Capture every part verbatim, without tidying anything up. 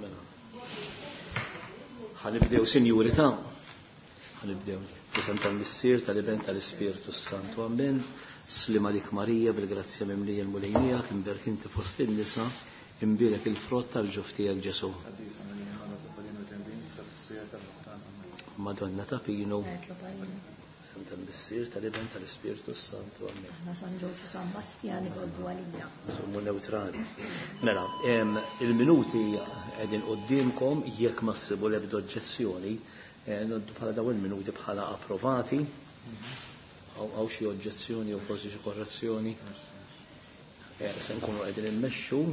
Mela. Ħa nibdew, sinjuri ta' ħa nibdew. F'isem tal-Missier, tal-Iben, tal-Ispirtu Santu. Amen. Sliem għalik Marija, bil-grazzja mimlija, l-Mulej miegħek, imberka inti fost in-nisa, imbierek il-frott tal-ġuf tiegħek Ġesù. Madonna ta' Pinu. Tal-Missier, tal-Iben, tal-Ispirtu Santu. Amen. Aħna San Ġorġ u San Bastjan itolbu għalina. Sommu neutrali. Mela, il-minuti qegħdin quddiemkom, jekk ma ssibu l-ebda oġġezzjoni, eh, ngħoddu bħala daw il-minuti bħala approvati. Hawn xi oġġezzjoni u forsi xi korrezzjoni? Eh, se nkunu qegħdin immexxu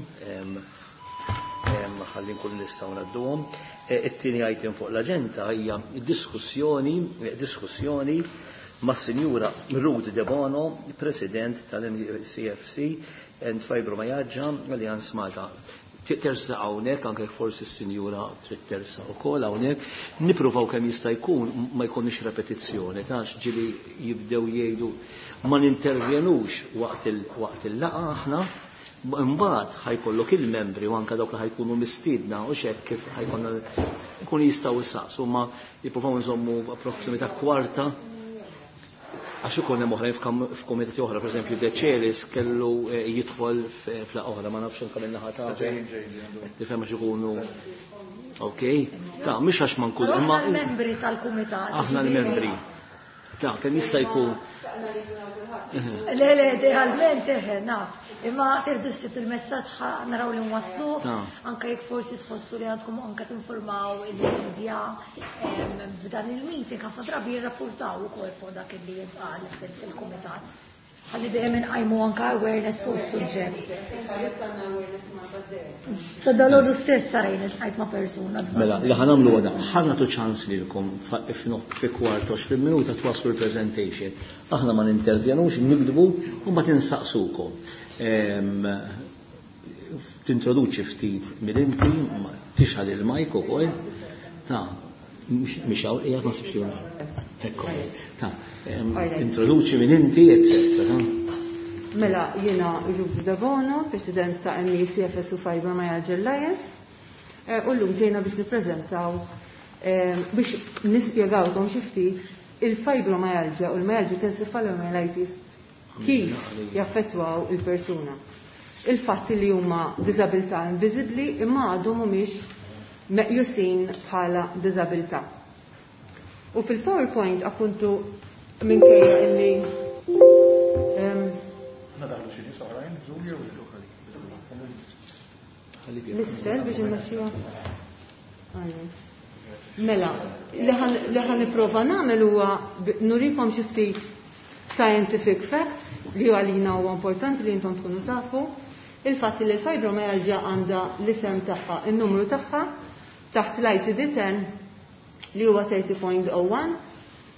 ħalli nkunu nistgħu ngħadduhom. Eh, it-tieni item fuq l-aġenda hija diskussjoni diskussjoni mas-Sinjura Ruth Debono, President tal-M E C F S and Fibromyalgia Alliance Malta. Tersaq hawnhekk, anke forsi s-sinjura trid tersaq ukoll hawnhekk, nippruvaw kemm jista' jkun ma jkunx repetizzjoni, ta' ġieli jibdew jgħidu ma nintervjenux waqt il-laqgħa aħna, imbagħad ħa jkollok il-membri u anke dawk li ħa jkunu mistiedna u xek kif ħa jkollna jkunu jistgħu jsaqsu, ma jippruvaw nżommu approssimità kwarta għax ikun hemm oħrajn f'komitati oħra, pereżempju Decelis kellu eh, jidħol f'laqgħa oħra, ma nafx anke min-naħa ta' tifhem għax ikunu. Ok, ta' mhux għax ma nkun imma l-membri tal-kumitat. Aħna l-membri. Ta' kemm jista' jkun. Le, le, idealment eħe, naf. Imma tieħdu ssib il-messaġġ, naraw li nwaslu, anke jekk forsi tħossu li għandkom anke tinformaw il-media f'dan il-meeting, ħafna drabi jirrapportaw ukoll fuq dak li jintqal fil-kumitat. Ħalli dejjem inqajmu anke awareness fuq is-suġġett. Sa dalgħodu stess sarajn iltqajt ma' persuna. Mela, li ħa nagħmlu għada, ħa nagħtu ċans lilkom fi kwart għoxrin minuta twaslu l-presentation. Aħna ma nintervjenux, nikdbu u ma tinsaqsukom. Tintroduċi ftit mill-inti, tixgħel il-mic ukoll. Ta' mhix hawn, qiegħed ma sibx. Ekku. Ta' introduċi minn inti, eccetera. Mela, jiena Ruth Debono, President ta' M E C F S u Fibromyalgia Alliance, eh, u llum ġejna biex nippreżentaw, eh, biex nispjegawkom xi ftit il-fibromyalgia u l-myalgic encephalomyelitis kif jaffettwaw il-persuna. Il-fatt li huma diżabilità inviżibbli imma għadhom mhumiex meqjusin bħala diżabilità. U fil-PowerPoint appuntu minkejja illi um, Nadaħlu xi nies oħrajn, Zoom jew L-isfel biex immexxuha. Mela, li ħa nipprova nagħmel huwa nurikom xi ftit scientific facts li għalina huwa importanti li intom tkunu tafu. Il-fatt li l-fibromyalgia għandha l-isem tagħha, in-numru tagħha taħt l-I C D ten li huwa thirty point oh one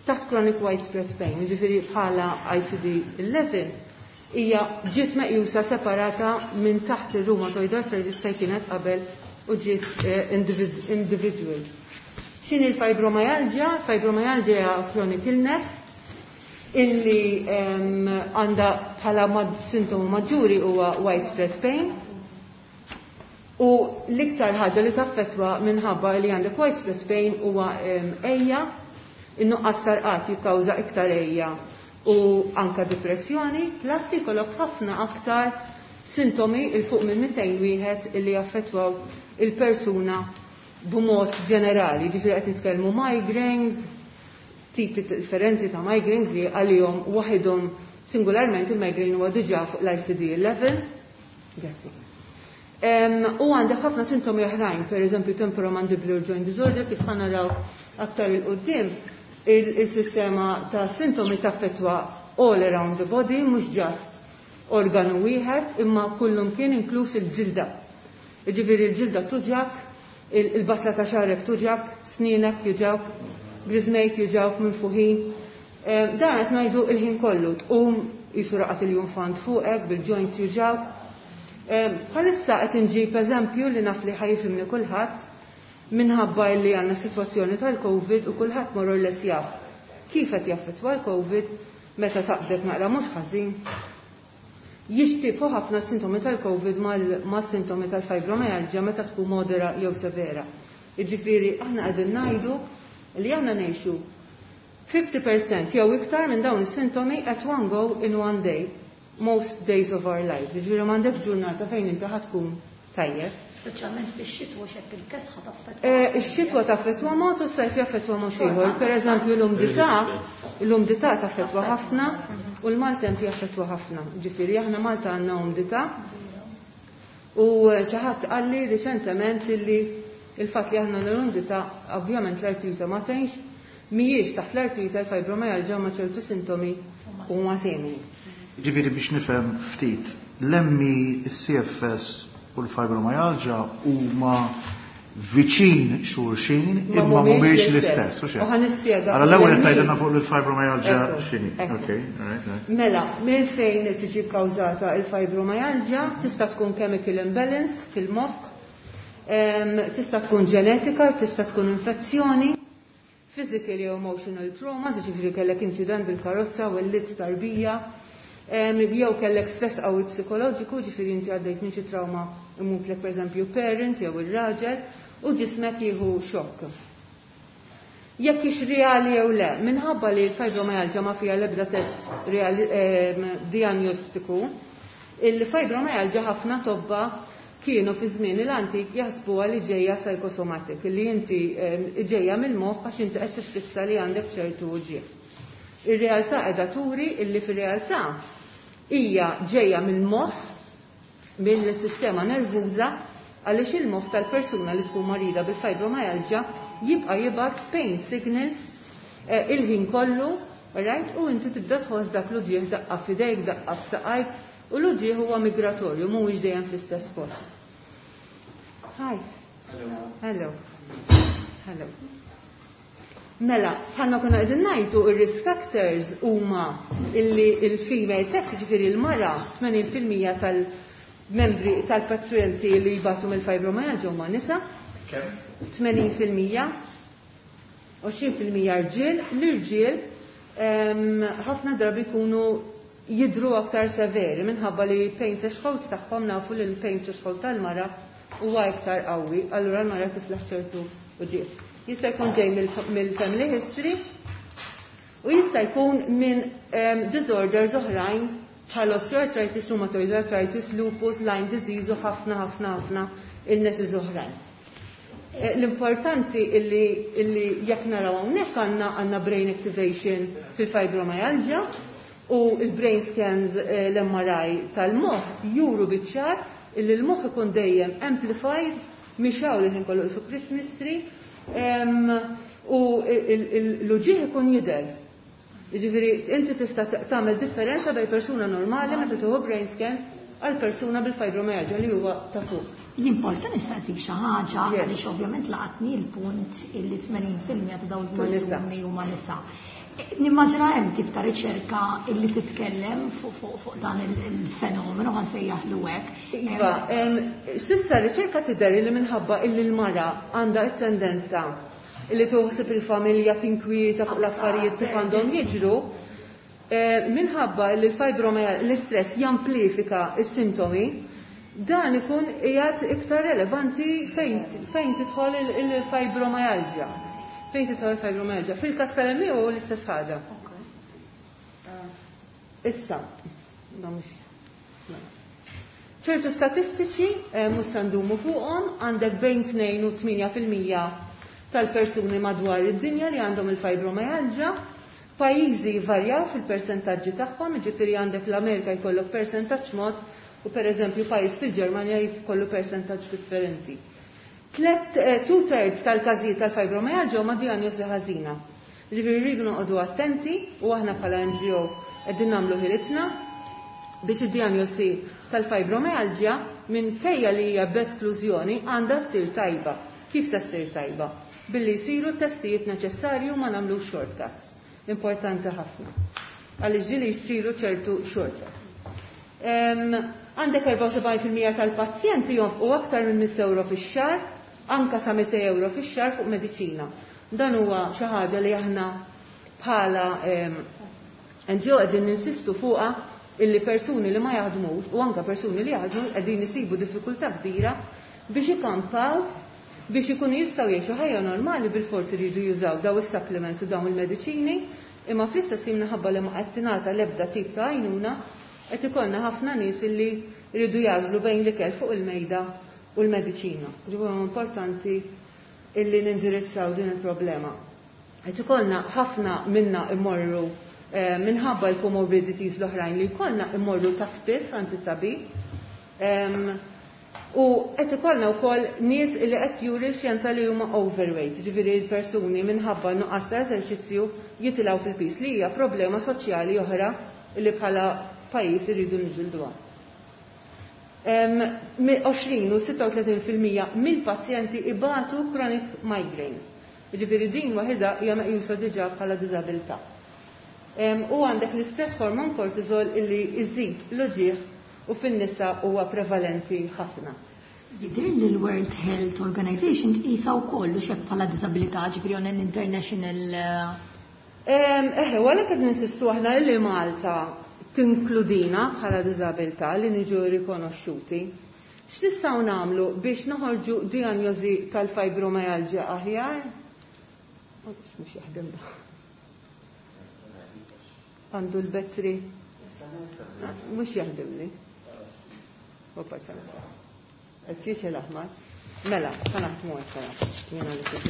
taħt chronic widespread pain, ġifieri bħala I C D eleven hija ġiet meqjusa separata minn taħt il-rheumatoid arthritis fejn kienet qabel u ġiet eh, individual. X'inhi l-fibromyalgia? Fibromyalgia hija chronic illness illi għandha bħala sintomu maġġuri huwa widespread pain. U l-iktar ħaġa li taffetwa minħabba li għandek widespread pain huwa għeja, in-nuqqas ta' rqad jikkawża iktar għeja u anka depressjoni, plus jkollok ħafna aktar sintomi 'il fuq minn mitejn wieħed illi jaffettwaw il-persuna b'mod ġenerali. Ġifieri qed nitkellmu migraines, tipi differenti ta' migraines li għalihom waħidhom singularment il-migraine huwa diġà fuq l-I C D eleven. Grazzi. U għandek ħafna sintomi oħrajn, per eżempju temporomandibular joint disorder, kif ħa naraw aktar 'il quddiem, il-sistema ta' sintomi taffetwa all around the body, mhux just organu wieħed, imma kullum kien inkluż il-ġilda. Ġifieri il-ġilda tuġgħak, il-basla ta' xagħrek tuġgħak, snienek juġgħuk, griżmejk juġgħuk minfuħin. Dan qed ngħidu il-ħin kollu, tqum qisu raqad iljunfant fuqek, bil-joints juġgħuk. Bħalissa qed inġib eżempju li naf li ħa jifhimni kulħadd minħabba li għandna sitwazzjoni tal-Covid u kulħadd more or less jaf kif qed jaffettwa l-Covid meta taqbdek naqra mhux ħażin. Jixtiebħu ħafna sintomi tal-COVID mal-sintomi tal-fibromyalgia meta tkun modera jew severa. Jiġifieri aħna qegħdin ngħidu li aħna ngħixu fifty percent jew iktar minn dawn is-sintomi at one go in one day, most days of our lives. Jiġifieri m'għandekx ġurnata fejn inti ħa tkun tajjeb. Speċjalment fix-xitwa, xekk il-kesħa taffettwa. Eh, ix-xitwa taffettwa mod u s-sajf jaffettwa mod ieħor. Per eżempju, l-umdità, l-umdità taffettwa ħafna u l-maltemp jaffettwa ħafna. Ġifieri aħna Malta għandna umdità u xi ħadd qalli riċentement illi il-fatt li aħna l-umdità, ovvjament l-artrite ma tgħinx, mhijiex taħt l-artrite l-fibromyalgia ma ċertu sintomi huma simili. Ġifieri biex nifhem ftit, l-M E, il-C F S u l-fibromyalgia huma viċin xulxin Ma imma mhumiex mhumiex l-istess. l-istess. U U ħa nispjega. Allora l-ewwel L-M E tgħidilna fuq il-fibromyalgia Ekku, x'inhi. Ekku. Okay, all right, all right. Mela, minn fejn tiġi kkawżata il-fibromyalgia? Tista' tkun chemical imbalance fil-moħħ, em, tista' tkun ġenetika, tista' tkun infezzjoni, physical jew emotional trauma, ġifieri kellek incident bil-karozza u wellidt tarbija, em, jew kellek stress qawwi psikoloġiku, ġifieri inti għaddejt minn xi trauma, imutlek pereżempju parent jew ir-raġel, u ġismek jieħu xokk. Jekk ix reali jew le, minħabba li l-fibromyalgia ma fija l-ebda test reali, em, diagnostiku, il-fibromyalgia ħafna tobba kienu fi żmien l-antik jaħsbuha li ġejja psychosomatic, li inti em, ġejja mill-moħħ għax inti qed tiffissa li għandek ċertu uġigħ. Ir-realtà qiegħda turi illi fir-realtà hija ġejja mill-moħħ, mill-sistema nervuża, għaliex il-moħħ tal-persuna li tkun marida bil-fibromyalgia jibqa' jibgħat pain signals eh, il-ħin kollu, right? U inti tibda tħoss dak l-uġigħ, daqqa f'idejk, daqqa f'saqajk, u l-uġigħ huwa migratorju, mhuwiex dejjem fl-istess post. Hi. Hello. Hello. Mela, bħalma konna qegħdin ngħidu, ir-risk factors huma illi il-female sex, ġifieri l-mara, tmenin fil-mija tal-membri tal-pazjenti li jbatu mill-fibromyalgia huma nisa. Kemm? tmenin fil-mija, għoxrin fil-mija rġiel. L-irġiel em, ħafna drabi jkunu jidru aktar severi minħabba li pain threshold tagħhom, nafu li l-pain threshold tal-mara huwa iktar qawwi, allura l-mara tiflaħ ċertu uġigħ. Jista' jkun ġej mill-family history u jista' jkun minn em, disorders oħrajn bħal osteoarthritis, rheumatoid arthritis, lupus, Lyme disease u ħafna ħafna ħafna illnesses oħrajn. Eh, L-importanti illi, illi jekk naraw hawnhekk għandna għandna brain activation fil-fibromyalgia u il-brain scans, eh, l-M R I tal-moħħ juru biċ-ċar illi l-moħħ ikun dejjem amplified, mixgħul li kollu su Christmas tree em, u l-uġigħ ikun jidher. Jiġifieri inti tista' tagħmel differenza bejn persuna normali meta tieħu brain scan għal persuna bil-fibromyalgia li huwa ta' fuq. L-importanti nistaqsik xi ħaġa Yes. għaliex ovvjament laqatni l-punt illi tmenin fil-mija ta' dawn Ma nisa. il-persuni huma nisa. Nimmaġina hemm tip ta' riċerka illi titkellem fuq fuq fuq dan il- il-fenomenu, ħa nsejjaħlu hekk. Iva, em, s'issa riċerka tidher li minħabba illi l-mara għandha t-tendenza illi toħsib il-familja, tinkwieta fuq l-affarijiet kif għandhom jiġru, eh, minħabba li l-fibromyalgia, l-istress jamplifika s-sintomi, dan ikun qiegħed iktar relevanti fejn fejn tidħol il- il-fibromyalgia. Fejn tidħol il-fibromyalgia. Fil-każ tal-M E hu l-istess ħaġa. Issa, da mhux- mela. ċertu statistiċi, eh, mhux se ndumu fuqhom, għandek bejn tnejn u tmienja fil-mija tal-persuni madwar id-dinja li għandhom il-fibromyalgia. Pajjiżi varjaw fil-persentaġġi tagħhom, jiġifieri għandek l-Amerika jkollok persentaġġ mod u pereżempju pajjiż fil-Ġermanja jkollu persentaġġ differenti. Tlet, eh, two thirds tal-każijiet tal-fibromyalgia huma diagnosi ħażina. Ġifieri rridu noqogħdu attenti u aħna bħala N G O qegħdin nagħmlu ħilitna biex id-diagnosi tal-fibromyalgia, minkejja li hija b'esklużjoni, għandha ssir tajba. Kif se ssir tajba? Billi jsiru t-testijiet neċessarju, ma nagħmlu shortcuts. Importanti ħafna. Għaliex ġieli jsiru ċertu shortcuts. Em, Għandek erbgħa u sebgħin fil-mija tal-pazjenti jonfqu aktar minn mitt euro fix-xahar, anka sa mitejn euro fix-xahar fuq mediċina. Dan huwa xi ħaġa li aħna bħala em, N G O qegħdin ninsistu fuqha. Illi persuni li ma jaħdmux u anka persuni li jaħdmu qegħdin isibu diffikultà kbira biex ikampaw, biex ikunu jistgħu jgħixu ħajja normali, bil-forsi jridu jużaw daw is-supplements u dawn il-mediċini, imma fl-istess ħin, minħabba li ma qed tingħata l-ebda tip ta' għajnuna, qed ikollna ħafna nies illi jridu jagħżlu bejn l-ikel fuq il-mejda u l-mediċina. Ġifieri importanti illi nindirizzaw din il-problema. Qed ikollna ħafna minna immorru eh, minħabba l-comorbidities l-oħrajn li jkollna, immorru ta' spiss għand it-tabib. U qed ikollna wkoll nies li qed juri xjenza li huma overweight, ġifieri l-persuni minħabba nuqqas ta' eżerċizzju jitilgħu fil-pis, li hija problema soċjali oħra li bħala pajjiż irridu niġġilduha. għoxrin u sitta u tletin fil-mija mill-pazjenti ibatu chronic migraine. Ġifieri din waħida hija meqjusa diġà bħala diżabilità. U għandek l-istess hormon cortisol illi iżid l-uġigħ u fin-nisa huwa prevalenti ħafna. Jidher li l-World Health Organization tqisha wkoll u xek bħala disabilità, ġifieri on an international Eħe, għalhekk qed ninsistu aħna li Malta tinkludina bħala diżabilità, li niġu rikonoxxuti. X'nistgħu nagħmlu biex noħorġu diagnosi tal-fibromyalgia aħjar? Mhux jaħdem da. Għandu l-battery. Mhux jaħdem li. Opa, sena. Qed jixgħel l-aħmar. Mela, ħa naħdmu hekk, jiena li kif.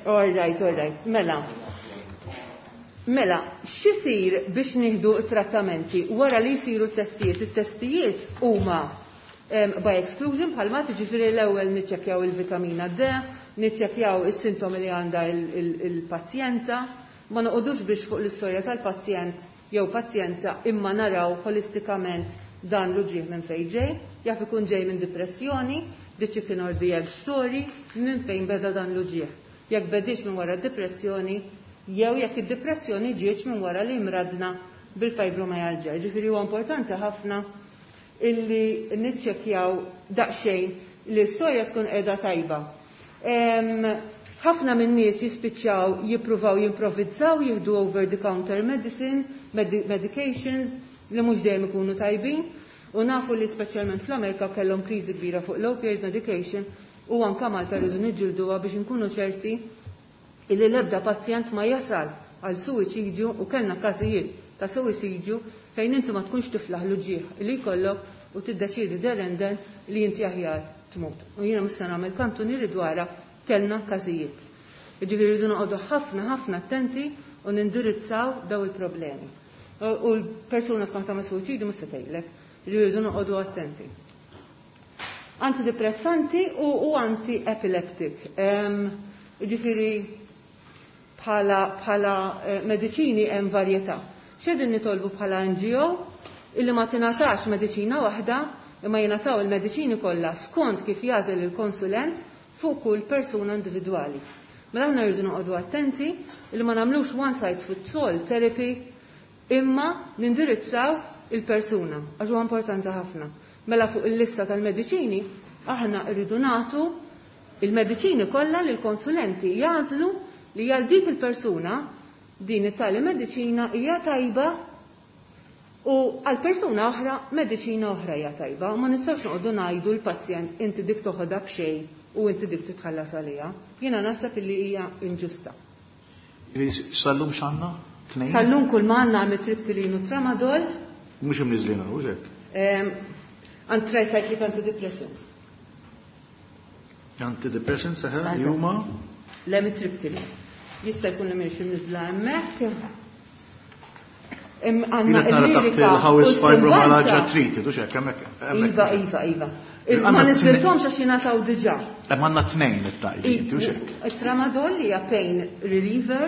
All right, all right. Mela. Mela, x'isir biex nieħdu trattamenti wara li jsiru testijiet? It-testijiet huma by exclusion, bħalma tiġifieri l-ewwel niċċekkjaw il-vitamina D, niċċekkjaw is-sintomi li għandha il-pazjenta, ma noqogħdux biex fuq l-istorja tal-pazjent jew pazjenta, imma naraw holistikament dan l-uġigħ minn fejn ġej, jaf ikun ġej minn depressjoni, the chicken or the egg story, minn fejn beda dan l-uġigħ. Jekk bedix minn wara depressjoni, jew jekk id-depressjoni ġietx minn wara li mradna bil-fibromyalgia. Ġifieri huwa importanti ħafna illi niċċekkjaw daqsxejn li l-istorja tkun qiegħda tajba. Ħafna minn nies jispiċċaw jippruvaw jimprovizzaw, jieħdu over the counter medicine, medications li mhux dejjem ikunu tajbin, u nafu li speċjalment fl-Amerika kellhom kriżi kbira fuq l-opioid medication, u anka Malta rridu niġġilduha biex inkunu ċerti illi l-ebda pazjent ma jasal għal suwiċidju, u kellna każijiet ta' suwiċidju fejn inti ma tkunx tiflaħ l-uġigħ li jkollok u tiddeċiedi derenden li inti aħjar tmut. U jiena mista nagħmel kantunieri dwarha, kellna każijiet. Jiġifieri rridu noqogħdu ħafna ħafna attenti u nindirizzaw daw il-problemi. U l-persuna tkun tagħmel suwiċidju mhux se tgħidlek. Jiġifieri rridu noqogħdu attenti. Antidepressanti u, u anti-epileptic. Ġifieri bħala, bħala eh, mediċini hemm varjetà. X'qegħdin nitolbu bħala N G O? Illi ma tingħatax mediċina waħda, imma jingħataw il-mediċini kollha skont kif jagħżel il-konsulent fuq kull persuna individwali. Mela aħna rridu noqogħdu attenti li ma nagħmlux one size fits all therapy, imma nindirizzaw il-persuna għax huwa importanti ħafna. Mela fuq il-lista tal-mediċini aħna rridu nagħtu il-mediċini kollha li l-konsulenti jagħżlu li għal dik il-persuna din it-tali mediċina hija tajba u għal persuna oħra mediċina oħra hija tajba, u ma nistgħux noqogħdu ngħidu l-pazjent inti dik toħodha b'xejn u inti dik titħallas għaliha. Jiena naħseb illi hija inġusta. Sal-lum x'għandna? Tnejn? Sal-lum kull ma għandna amitriptyline u tramadol. Mhux imniżlin u hekk. Għand tricyclic antidepressants. Antidepressants eħe, li huma L-amitriptyline. Jista' jkun li mhix imniżla hemmhekk. Għandna nara taħt il-how is fibromyalgia treated, u xek, hemmhekk. Iva, iva, iva. Ma niżilthomx għax jingħataw diġà. Hemm għandna tnejn it-tajt, u xek. Tramadol li hija pain reliever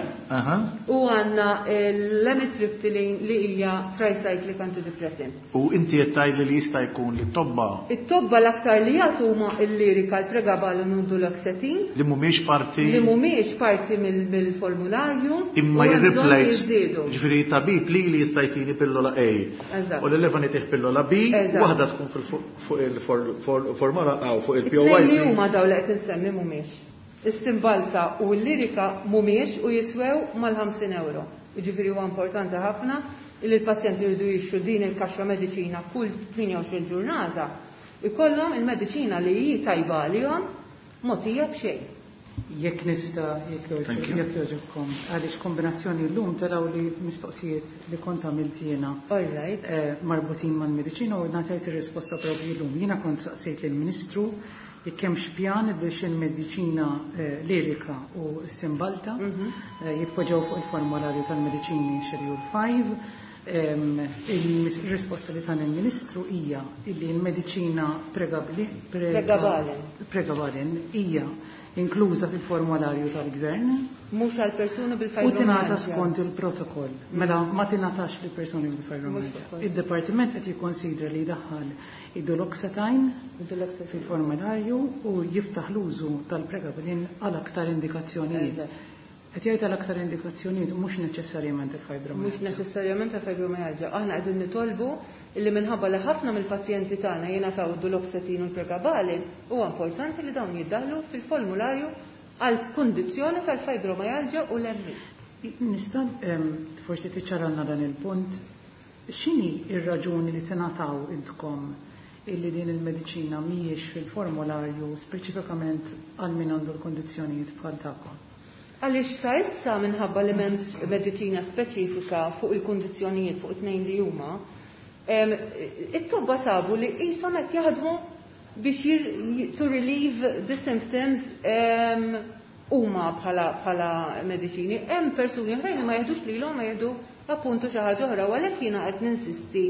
u għandna l-amitriptyline li hija tricyclic antidepressant. U inti qed tgħid li jista' jkun li t-tobba It-tobba l-aktar li jagħtu huma il-Lyrica, l-pregabalin u duloxetine. Li mhumiex parti Li mhumiex parti mill-formularju. Imma jirreplace. Ġifieri tabib li li jista' jtini pillola A. U li leva nitih pillola B, waħda tkun fuq il-formula A u fuq il-P O I C. Huma daw li qed insemmi mhumiex. Is-Cymbalta u l-Lyrica mhumiex u jiswew mal-ħamsin euro. Jiġifieri huwa importanti ħafna li l-pazjenti jridu jixtru din il-kaxxa mediċina kull tmienja u għoxrin ġurnata, ikollhom il-mediċina li hi tajba għalihom mogħtija b'xejn. Jekk nista, jekk jogħġobkom, għaliex kombinazzjoni llum taraw li mistoqsijiet li kont għamilt jiena All right. eh, marbutin mal-mediċina u ngħatajt ir-risposta propju llum. Jiena kont saqsejt lill-Ministru jekk hemmx pjan biex il-mediċina eh, Lyrica u Cymbalta Mhm. eh, jitpoġġew fuq il-formularju tal-mediċini Schedule five. Em, Il-risposta li tan il-Ministru hija illi l-mediċina pregabli- prega- Pregabalin. Pregabalin hija inkluża fil-formularju tal-Gvern Mhux għal persuni u bil-fibromyalgia. tingħata skont il-protokoll. Mela ma tingħatax lil persuni bil-fibromyalgia. Mhux Id-Dipartiment qed jikkonsidra li jdaħħal id-duloxetine Duloxetine. fil-formularju u jiftaħ l-użu tal-pregabalin għal aktar indikazzjonijiet. Eżatt. Qed jgħid għal aktar indikazzjonijiet, mhux neċessarjament il-fibromyalgia. Mhux neċessarjament il-fibromyalgia. Aħna qegħdin nitolbu illi minħabba li ħafna mill-pazjenti tagħna jingħataw id-duloxetine u l-pregabalin, huwa importanti li dawn jiddaħlu fil-formularju għal kundizzjoni tal-fibromyalgia u l-M E. Nista' em, forsi tiċċaralna dan il-punt. X'inhi ir-raġuni li tingħataw intkom illi din il-mediċina mhijiex fil-formularju speċifikament għal min għandu l-kondizzjonijiet bħal tagħkom? Għaliex sa issa minħabba li m'hemmx mediċina speċifika fuq il-kundizzjonijiet fuq it-tnejn li huma, em, it-tobba sabu li qishom qed jaħdmu biex jir-, to relieve the symptoms, em, huma bħala, bħala mediċini. Hemm persuni oħrajn li ma jeħdux lilhom, ma jieħdu appuntu xi ħaġa oħra, u għalhekk jiena qed ninsisti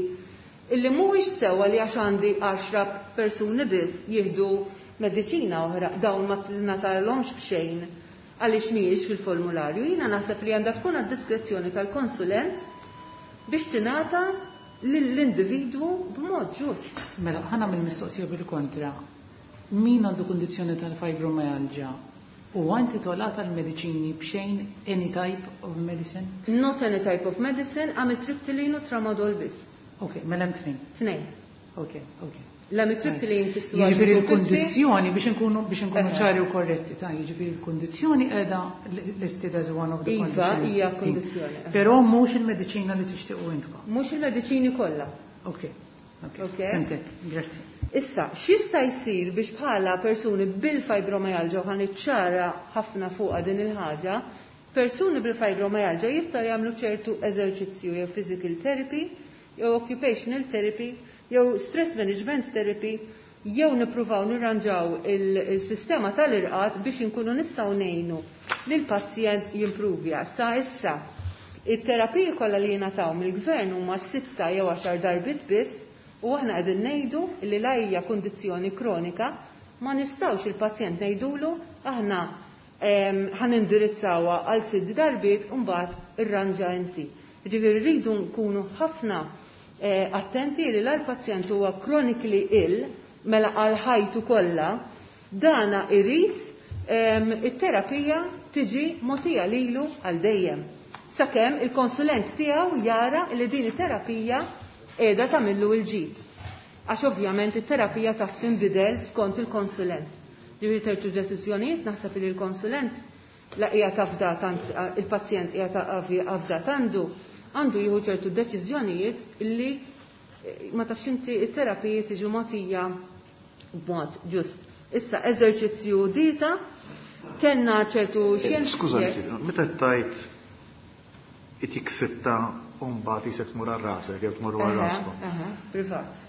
illi mhuwiex sewwa li għax għandi għaxra persuni biss jieħdu mediċina oħra, dawn ma tingħatalhomx b'xejn għaliex mhijiex fil-formularju. Jiena naħseb li għandha tkun għad-diskrezzjoni tal-konsulent biex tingħata lill-individwu b'mod ġust. Mela, ħa nagħmel mistoqsija bil-kontra. Min għandu kundizzjoni tal-fibromyalgia huwa intitolat għal mediċini b'xejn, any type of medicine? Not any type of medicine, amitriptyline u tramadol biss. Ok, mela hemm tnejn. Tnejn. Ok, ok. L-amitriptyline tiswa Jiġifieri xi l-kundizzjoni, biex nkunu biex nkunu Eħe. ċari u korretti, ta' jiġifieri l-kundizzjoni qiegħda listed as one of the Iva, conditions. hija kundizzjoni. Però mhux il-mediċina li tixtiequ intkom. Mhux il-mediċini kollha. Ok. Ok. Ok. Fhimtek, grazzi. Issa, x'jista' jsir biex bħala persuni bil-fibromyalgia, u ħa niċċara ħafna fuqha din il-ħaġa, persuni bil-fibromyalgia jistgħu jagħmlu ċertu eżerċizzju jew physical therapy, jew occupational therapy, jew stress management therapy, jew nippruvaw nirranġaw il-sistema tal-irqad biex inkunu nistgħu ngħinu lil pazjent jimpruvja. Sa issa, it-terapiji kollha li jingħataw mill-gvern huma sitta jew għaxar darbiet biss, u aħna qegħdin ngħidu li la hija kundizzjoni kronika, ma nistgħux il-pazjent ngħidulu aħna, em, ħa nindirizzawha għal sitt darbiet u mbagħad irranġa inti. Ġifieri rridu nkunu ħafna, eh, attenti li l-pazjent huwa chronically ill, mela għal ħajtu kollha, dana irid, em, it-terapija tiġi mogħtija lilu għal dejjem. Sakemm il-konsulent tiegħu jara li din it-terapija qiegħda tagħmillu l-ġid. Għax ovvjament it-terapija taf tinbidel skont il-konsulent. Ġifieri terċu deċiżjonijiet naħseb li l-konsulent la hija tafdat għand il-pazjent hija afdat għandu, għandu jieħu ċertu deċiżjonijiet illi, eh, ma tafx inti it-terapiji tiġi mogħtija b'mod ġust. Issa eżerċizzju dieta, kellna ċertu xjenza. Skuża, Yes. meta tajt itik sitta u mbagħad jisek tmur għal rasek jew tmur għal Aha, raskom. aha, privat.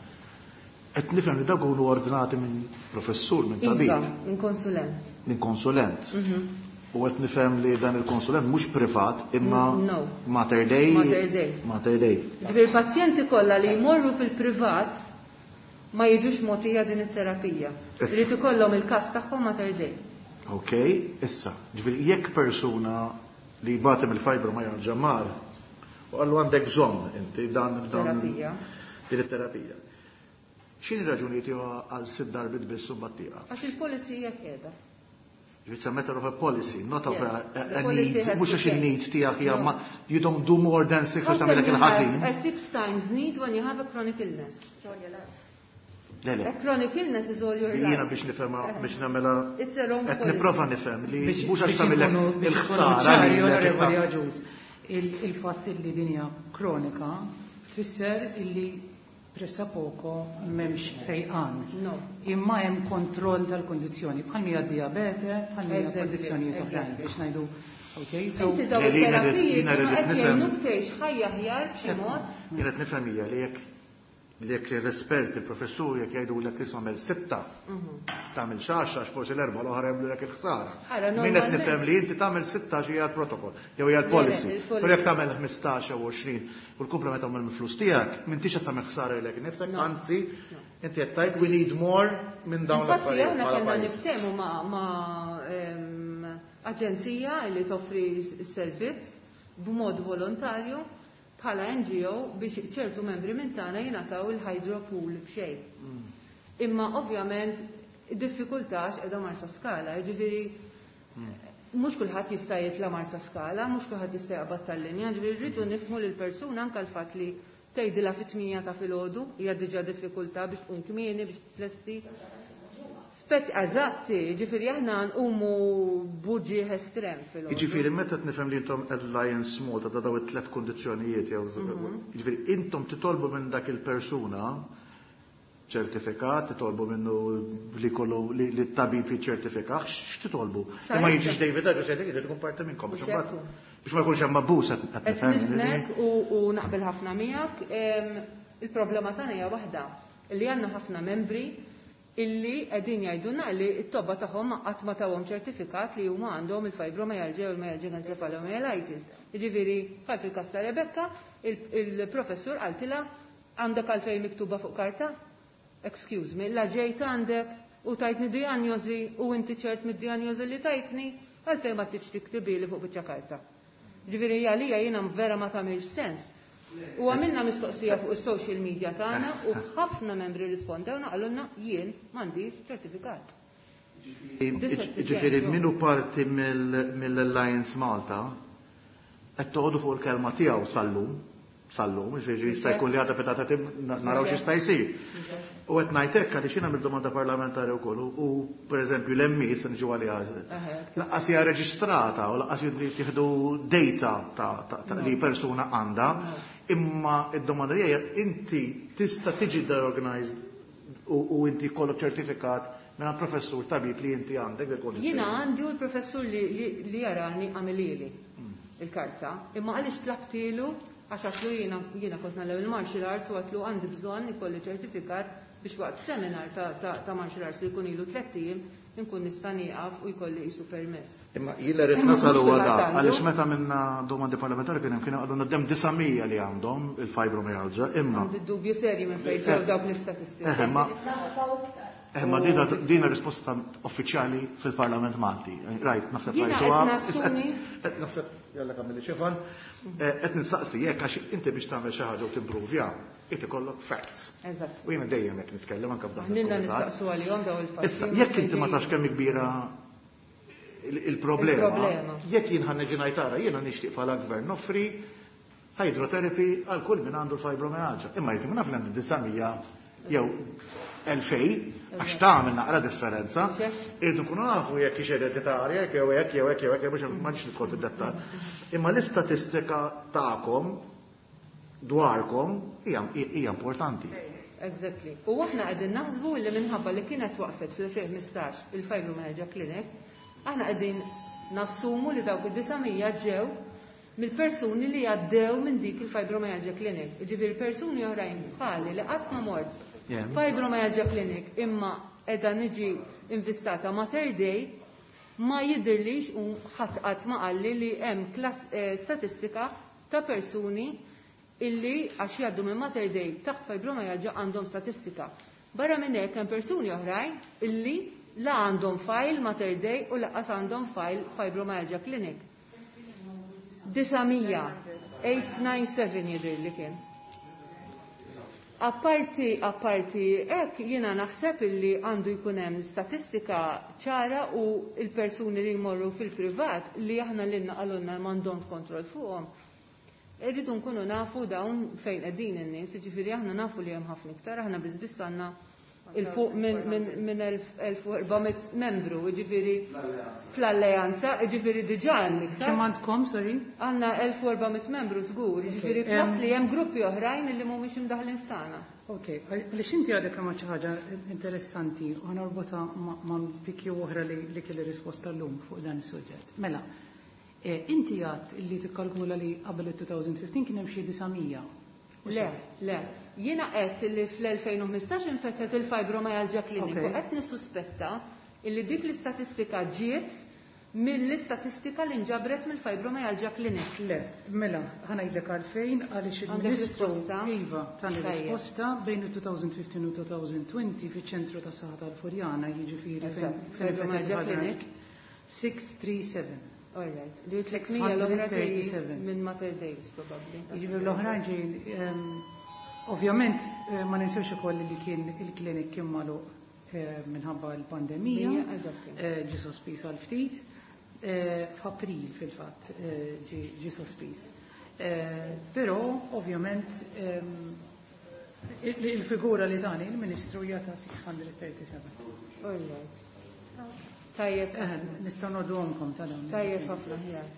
Qed nifhem li dawk ikunu ordinati minn professur, minn Iva, tabib, minn konsulent. minn konsulent. Mhm. U qed nifhem li dan il-konsulent mhux privat imma Mm, no. Mater Dei. Mater Dei. Mater Dei. Ġifieri pazjenti kollha li jmorru fil-privat ma jiġux mogħtija din it-terapija. Irid ikollhom il-każ tagħhom Mater Dei. Ok, issa, ġifieri jekk persuna li jbati mill-fibromyalgia mar u qallu għandek bżonn inti dan dan Terapija. din it-terapija. X'inhi raġuni tiegħu għal sitt darbiet biss u mbagħad tieqaf? Għax il-policy hija qiegħda. It's a matter of a policy, not of Yes. a, a, The a policy need. has Mhux to għax change. il-need tiegħek hija No. ma you don't do more than six How għax can tagħmilek you il-ħażin. have a six times need when you have a chronic illness? Le, le. A chronic illness is all your life. Jiena biex nifhemha biex nagħmilha It's a wrong qed policy. nipprova nifhem li Biex mhux għax biex tagħmilek inkunu- biex inkunu il-ħsara ċari, lilek Onorevoli ta' Agius, il- il-fatt li din hija kronika tfisser illi pressappoco m'hemmx fejqan. No. Imma hemm kontroll tal-kondizzjoni, bħal hija diabete, bħal hija Exactly, kondizzjonijiet oħrajn exactly. biex ngħidu. Okay, so Inti daw Le, li jiena rrid- it-terapiji jiena kienu rrid qed nifhem. jgħinuk tgħix ħajja aħjar b'xi mod. Jiena qed nifhem hija li jekk li jekk l-esperti, il-professur jekk jgħidulek li tagħmel sitta, tagħmel xaxa għax forsi l-erba' l-oħra jagħmlulek il-ħsara. Ara, Min qed normalment- nifhem li inti tagħmel sitta xi hija l-protokoll, jew hija l-policy. Le, le, il-policy. Però jekk tagħmel ħmistax jew għoxrin u l-komplement tagħmel mill-flus tiegħek, m'intix qed tagħmel ħsara lilek innifsek, anzi inti qed tgħid we need more minn dawn Infatti l-affarijiet aħna bħala kellna pajjiż. niftehmu ma' ma' em, aġenzija li toffri s-servizz b'mod volontarju bħala N G O biex ċertu membri minn tagħna jingħataw il-hydropool b'xejn. Imma ovvjament id-diffikultà qiegħda Marsaskala, jiġifieri mhux kulħadd jista' jitla' Marsaskala, mhux kulħadd jista' jaqbad tal-linja, jiġifieri rridu nifhmu lil persuna anke l-fatt li tgħidilha fit-tmienja ta' filgħodu hija diġà diffikultà biex tqum kmieni biex tlesti. Spet eżatti, ġifieri aħna nqumu b'uġigħ estrem filgħodu. Jiġifieri meta nifhem li intom Alliance Malta ta' daw it-tlet kondizzjonijiet jew jiġifieri intom titolbu minn dak il-persuna ċertifikat, titolbu minnu li kollu li li t-tabib jiċċertifikah, x'titolbu? Sa Imma issa. jiġix David Agius jgħidlek irid ikun parti minnkom biex Mhux imbagħad hekk. biex ma jkunx hemm abbuż qed qed Qed nifhem. nifhmek u, u naqbel ħafna miegħek. Em, Il-problema tagħna hija waħda li għandna ħafna membri illi qegħdin jgħidulna li t-tobba tagħhom qatt ma tawhom ċertifikat li huma għandhom il-fibromyalgia u l-myalgic encephalomyelitis. Jiġifieri bħal fil-każ ta' Rebecca, il- il-professur qaltilha, "Għandek għalfejn miktuba fuq karta? Excuse me, la ġejt għandek u tajtni diagnosi u inti ċert mid-diagnosi li tajtni, għalfejn ma tridx tiktibili fuq biċċa karta?" Ġifieri għalija jiena vera ma tagħmilx sens. U għamilna mistoqsija fuq is-social media tagħna u ħafna membri rispondewna, qalulna, "Jien m'għandix ċertifikat." Ġifieri min hu parti mill- mill-Alliance Malta qed toqgħodu fuq il-kelma tiegħu sal-lum, sal-lum, ġifieri jista' jkun li għadha petata naraw x'jista' jsir. U qed ngħid hekk għaliex jiena mill-domanda parlamentari wkoll u pereżempju l-M E se niġu għaliha. Lanqas hija reġistrata u lanqas jieħdu data ta' ta' ta' li persuna għandha, imma id-domanda hija, inti tista' tiġi diagnosed u u inti jkollok ċertifikat minn professur tabib li inti għandek del kondizzjoni. Jiena għandi u l-professur li, li, li jarani għamilili il-karta, imma għaliex tlabtilu, għax għedtlu jiena jiena kont nagħlem il-martial arts u għedtlu għandi bżonn ikolli ċertifikat biex waqt seminar ta', ta, ta' martial arts li jkun ilu tlett ijiem nkun nista' nieqaf u jkolli qisu permess. Imma jien rrid Imma nasal mhux huwa kulħadd da, għandu. għaliex meta minna domandi parlamentari kien hemm kienu għadhom hemm disa' mija li għandhom il-fibromyalgia, imma Għandi dubju serji minn fejn ġew dawk l-istatistiċi. Eh, ma Eh, ma dina, dina risposta uffiċjali fil-Parlament Malti. Rajt, naħseb Jiena rajtuha. qed nassumi- Qed naħseb, jalla kamilli xifan, qed nistaqsi jekk għax inti biex tagħmel xi ħaġa u timprovja, inti kollok facts. Eżatt. U jiena dejjem hekk nitkellem anke f'dan Nilna il-kumitat. nistaqsu għalihom daw il-fatti. Issa, jekk inti ma tafx kemm kbira il- il-problema, Il-problema. jekk jien ħa niġi ngħid, jiena nixtieq bħala gvern noffri hydrotherapy għal kull min għandu l-fibromyalgia. Imma jrid naf li għandi disa' mija jew elfejn, għax tagħmel naqra differenza. Irridu nkunu nafu jekk hix ereditarja, jekk jew hekk jew hekk jew hekk, biex ma nix nidħol fid-dettall. Imma l-istatistika tagħkom dwarkom hija hija importanti. Exactly. U aħna qegħdin naħsbu li minħabba li kienet waqfet fl-elfejn u ħmistax il-Fibromyalgia Clinic, aħna qegħdin nassumu li dawk id-disa' mija ġew mill-persuni li għaddew minn dik il-Fibromyalgia Clinic. Ġifieri persuni oħrajn bħali li qatt ma mort Yeah. Fibromyalgia Clinic imma qiegħda niġi invistata Mater Dei, ma jidirlix u ħadd qatt ma qalli li hemm klas- eh, statistika ta' persuni illi għax jgħaddu minn Mater Dei taħt fibromyalgia għandhom statistika. Barra minn hekk hemm persuni oħrajn illi la għandhom file Mater Dei u lanqas għandhom file Fibromyalgia Clinic. Disa' mija, tmien tnejn seba' jidher li kien. Apparti, apparti, hekk jiena naħseb illi għandu jkun hemm statistika ċara u il-persuni li jmorru fil-privat li aħna l-inna qalulna m'għandhomx kontroll fuqhom. Irridu nkunu nafu dawn fejn qegħdin in-nies, jiġifieri aħna nafu li hemm ħafna iktar, aħna biss biss għandna 'Il fuq minn elf u erba' mitt membru, jiġifieri fl-alleanza, jiġifieri diġà hemm iktar. Kemm għandkom, sorry? Għandna elf u erba' mitt membru żgur, jiġifieri plus li hemm gruppi oħrajn li mhumiex imdaħħlin f'tagħna. Ok, għaliex inti għadek kemm xi ħaġa interessanti u ħanorbotha ma' P Q oħra li kelli risposta llum fuq dan is-suġġett. Mela, inti għedt li tikkalkula li qabel il-elfejn u ħmistax kien hemm xi disa' mija. Le, le. Jiena qed li fl-elfejn u ħmistax infetħet il-Fibromyalgia Clinic u qed nissuspetta illi dik l-istatistika ġiet mill-istatistika li nġabret mill-Fibromyalgia Clinic. Le, mela, ħa ngħidlek għalfejn, għaliex il-Ministru iva tani risposta bejn il-elfejn u ħmistax u elfejn u għoxrin fiċ-ċentru ta' saħħa tal-Furjana, jiġifieri Fibromyalgia Clinic. sitt tlieta seba'. All right. Li tliet mija l-oħra ġejjin minn Mater Dei, probably. Jiġifieri l-oħrajn ġejjin, ovvjament ma ninsewx ukoll li kien il-klinik kien magħluq minħabba l-pandemija, ġi sospiż għal ftit. F'April fil-fatt ġi sospiż. Però ovvjament il-figura li tani il-Ministru hija ta' sitt mija u seba' u tletin. All right. Tajjeb. Nistgħu ngħodduhomkom ta' dawn. Tajjeb ħafna, ħjar.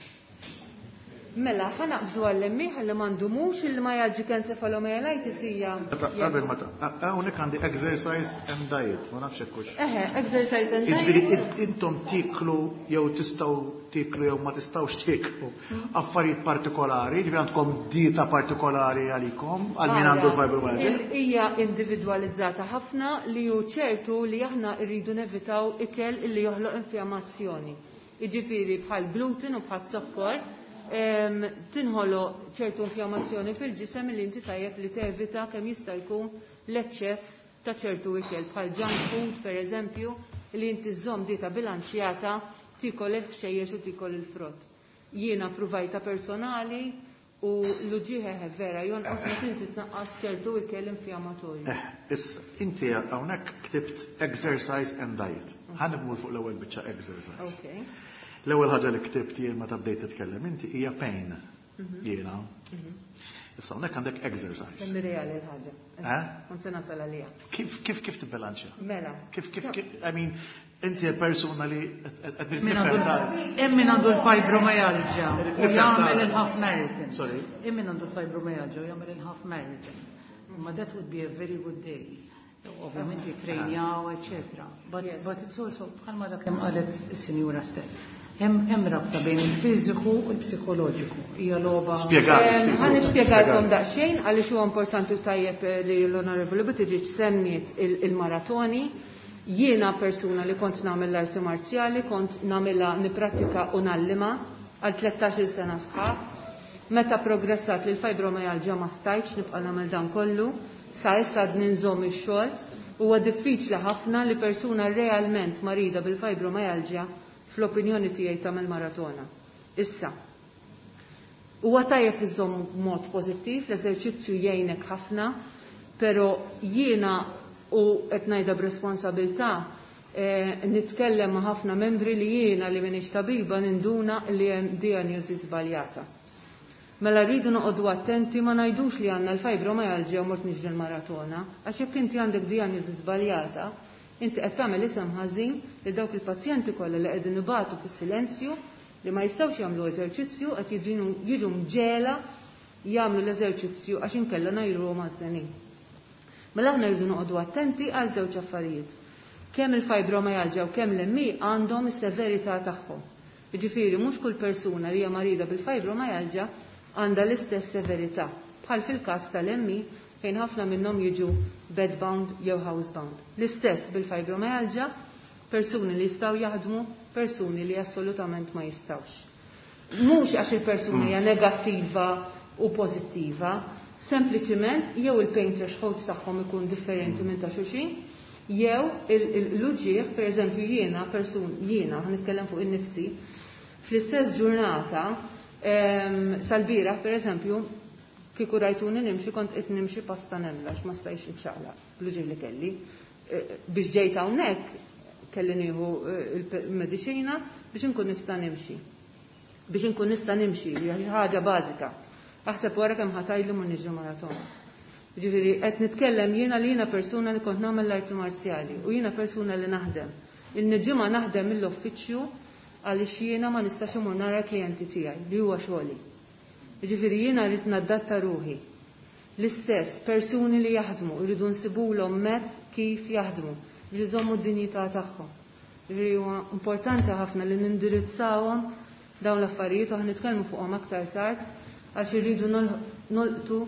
Mela, ħa naqbżu għall-M E ħalli ma ndumux, il-myalgic encephalomyelitis hija. Qabel ma hawnhekk għandi exercise and diet, ma nafx hekk hux. Eħe, exercise and diet. Jiġifieri intom tiklu jew tistgħu tiklu jew ma tistgħux tiklu affarijiet partikolari, jiġifieri għandkom dieta partikolari għalikom għal min għandu l-fibromyalgia. Hija individwalizzata ħafna. Li hu ċertu li aħna rridu nevitaw ikel illi joħloq infjammazzjoni. Jiġifieri bħal gluten u bħal sokkor tinħoloq ċertu infjammazzjoni fil-ġisem li inti tajjeb li tevita kemm jista' jkun l-eċċess ta' ċertu ikel bħal junk food, per eżempju, li inti żżomm dieta bilanċjata, tikol il-ħxejjex u tikol il-frott. Jiena provajta personali u l-uġigħ vera jonqos meta inti tnaqqas ċertu ikel infjammatorju. Eh, issa inti hawnhekk ktibt exercise and diet. Ħa nmur fuq l-ewwel biċċa, exercise. Okay. L-ewwel ħaġa li ktibt jien meta bdejt titkellem inti hija pain. Jiena. Issa hawnhekk għandek exercise. Semmi reali l-ħaġa. Eh? Kont se nasal għalija. Kif kif kif tibbilanċja? Mela. Kif kif kif I mean, inti persuna li qed Min għandu min għandu l-fibromyalgia u jagħmel il-half marathon. Sorry. Hemm min għandu l-fibromyalgia u jagħmel il-half marathon. Ma that would be a very good day. Ovvjament jitrejnjaw, eccetera. But, Yes. but it's also, bħalma dak kemm qalet is-sinjura stess. Hemm hemm rabta bejn il-fiżiku u l-psikoloġiku. Hija logħba. Spjegali ftit. Ħa nispjegalkom daqsxejn għaliex huwa importanti u tajjeb li l-Onorevoli Buttigieg semmiet il-maratoni. Jiena persuna li kont nagħmel l-arti marzjali, kont nagħmilha, niprattika u ngħallima għal tlettax-il sena sħaħ. Meta progressat li l-fibromyalgia ma stajtx nibqa' nagħmel dan kollu, sa issa għadni nżomm ix-xogħol. Huwa diffiċli ħafna li persuna realment marida bil-fibromyalgia fl-opinjoni tiegħi tagħmel maratona. Issa, huwa tajjeb iżomm mod pożittiv, l-eżerċizzju jgħinek ħafna, però jiena, u qed ngħidha b'responsabilità, eh, nitkellem ma' ħafna membri li jiena li m'iniex tabiba ninduna li hemm diagnosi żbaljata. Mela rridu noqogħdu attenti ma ngħidux li għandna l-fibromyalgia u mort niġri l-maratona, għax jekk inti għandek diagnosi żbaljata, inti qed tagħmel isem ħażin li dawk il-pazjenti kollha li qegħdin ibatu fis-silenzju, li ma jistgħux jagħmlu eżerċizzju, qed jiġu mġegħla jagħmlu l-eżerċizzju għax inkella ngħajruhom għaż-żenin. Mela aħna rridu noqogħdu attenti għal żewġ affarijiet. Kemm il-fibromyalgia u kemm l-M E għandhom is-severità tagħhom. Jiġifieri mhux kull persuna li hija marida bil-fibromyalgia għandha l-istess severità. Bħal fil-każ tal-M E fejn ħafna minnhom jiġu bedbound jew housebound. L-istess bil-fibromyalgia, persuni li jistgħu jaħdmu, persuni li assolutament ma jistgħux. Mhux għax il-persuna hija negattiva u pożittiva, sempliċiment jew il-pain threshold tagħhom ikun differenti minn ta' xulxin, jew l-uġigħ, per eżempju jiena, persun, jiena, nitkellem fuq in-nifsi, fl-istess ġurnata, sal-bieraħ, per eżempju, kieku rajtuni nimxi, kont qed nimxi pasta nemla, ma stajx nċaqlaq, bl-uġigħ li kelli. Biex ġejt hawnhekk kelli nieħu il-mediċina biex inkun nista' nimxi. Biex inkun nista' nimxi, hija ħaġa bażika. Aħseb wara kemm ħa tgħidlu ma niġri maratona. Ġifieri qed nitkellem jiena li jiena persuna li kont nagħmel l-arti marzjali u jiena persuna li naħdem. Il-ġimgħa naħdem mill-uffiċċju għaliex jiena ma nistax imur nara klijenti tiegħi li huwa xogħli. Ġifieri jiena rrid nadatta ruħi. L-istess persuni li jaħdmu jridu nsibulhom mezz kif jaħdmu biex iżommu d-dinjità tagħhom. Ġifieri huwa importanti ħafna li nindirizzawhom dawn l-affarijiet u nitkellmu fuqhom aktar tard għax irridu nolqtu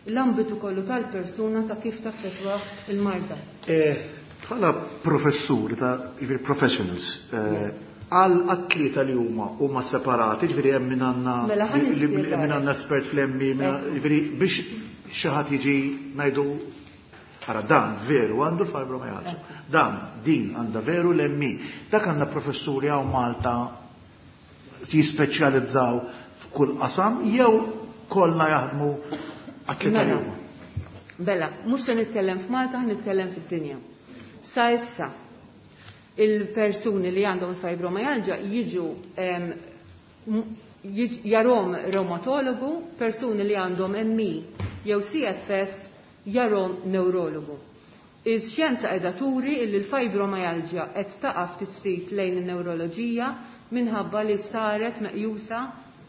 l-ambitu kollu tal-persuna ta' kif taffettwa il-marda. Bħala professuri ta' ġifieri professionals, għal atleta li huma huma separati, ġifieri hemm min għandna min għandna espert fl-M E, ġifieri biex xi ħadd jiġi ngħidu ara dan veru għandu l-fibromyalgia. Dan din għandha veru l-M E. Dak għandna professuri hawn Malta jispeċjalizzaw f'kull qasam jew kollha jaħdmu atleta li huma. Bella, mhux se nitkellem f'Malta, nitkellem fid-dinja. Sa issa il-persuni li għandhom il-fibromyalgia jiġu jarahom reumatologu, persuni li għandhom M E jew C F S jarahom neurologu. Ix-xjenza qiegħda turi li l-fibromyalgia qed taqa' ftit ftit lejn in-neuroloġija minħabba li saret meqjusa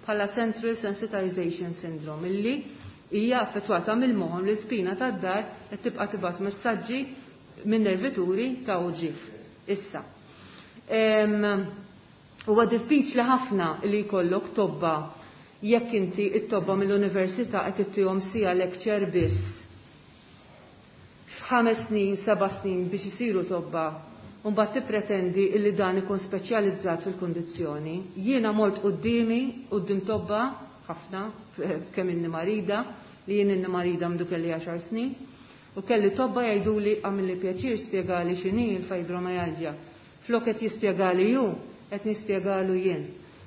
bħala Central Sensitization Syndrome, illi hija affettwata mill-moħħ li spina tad-dahar qed tibqa' tibgħat messaġġi minn nervituri ta' uġigħ. Issa. Huwa diffiċli ħafna li jkollok tobba jekk inti it-tobba mill-università qed ittihom siegħa lecture biss f'ħames snin, seba' snin biex isiru tobba, u mbagħad tippretendi li dan ikun speċjalizzat fil-kundizzjoni. Jiena mort quddiemi quddiem tobba ħafna kemm inni marida, li jien inni marida mdu kelli għaxar snin, u kelli tobba jgħiduli: "Għamilli pjaċir, spjegali x'inhi l-fibromyalgia." Flok qed jispjegali ju, qed nispjegalu jien.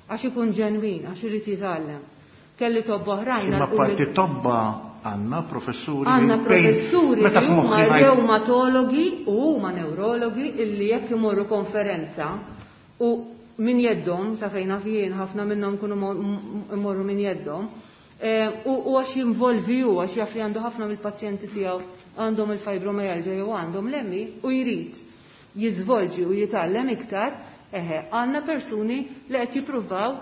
Għax ikun ġenwin, għax irid jitgħallem. Kelli tobba oħrajn. Imma parti tobba għandna professuri. Għandna professuri li huma reumatologi u huma neurologi illi jekk imorru konferenza u min jeddhom, sa fejn jien ħafna minnhom kunu imorru min jeddhom, eh, u għax jinvolvi u għax jaf li għandu ħafna mill-pazjenti tiegħu għandhom il-fibromyalgia jew għandhom l-M E u jrid jiżvolġi u jitgħallem iktar, eħe, għandna persuni li qed jippruvaw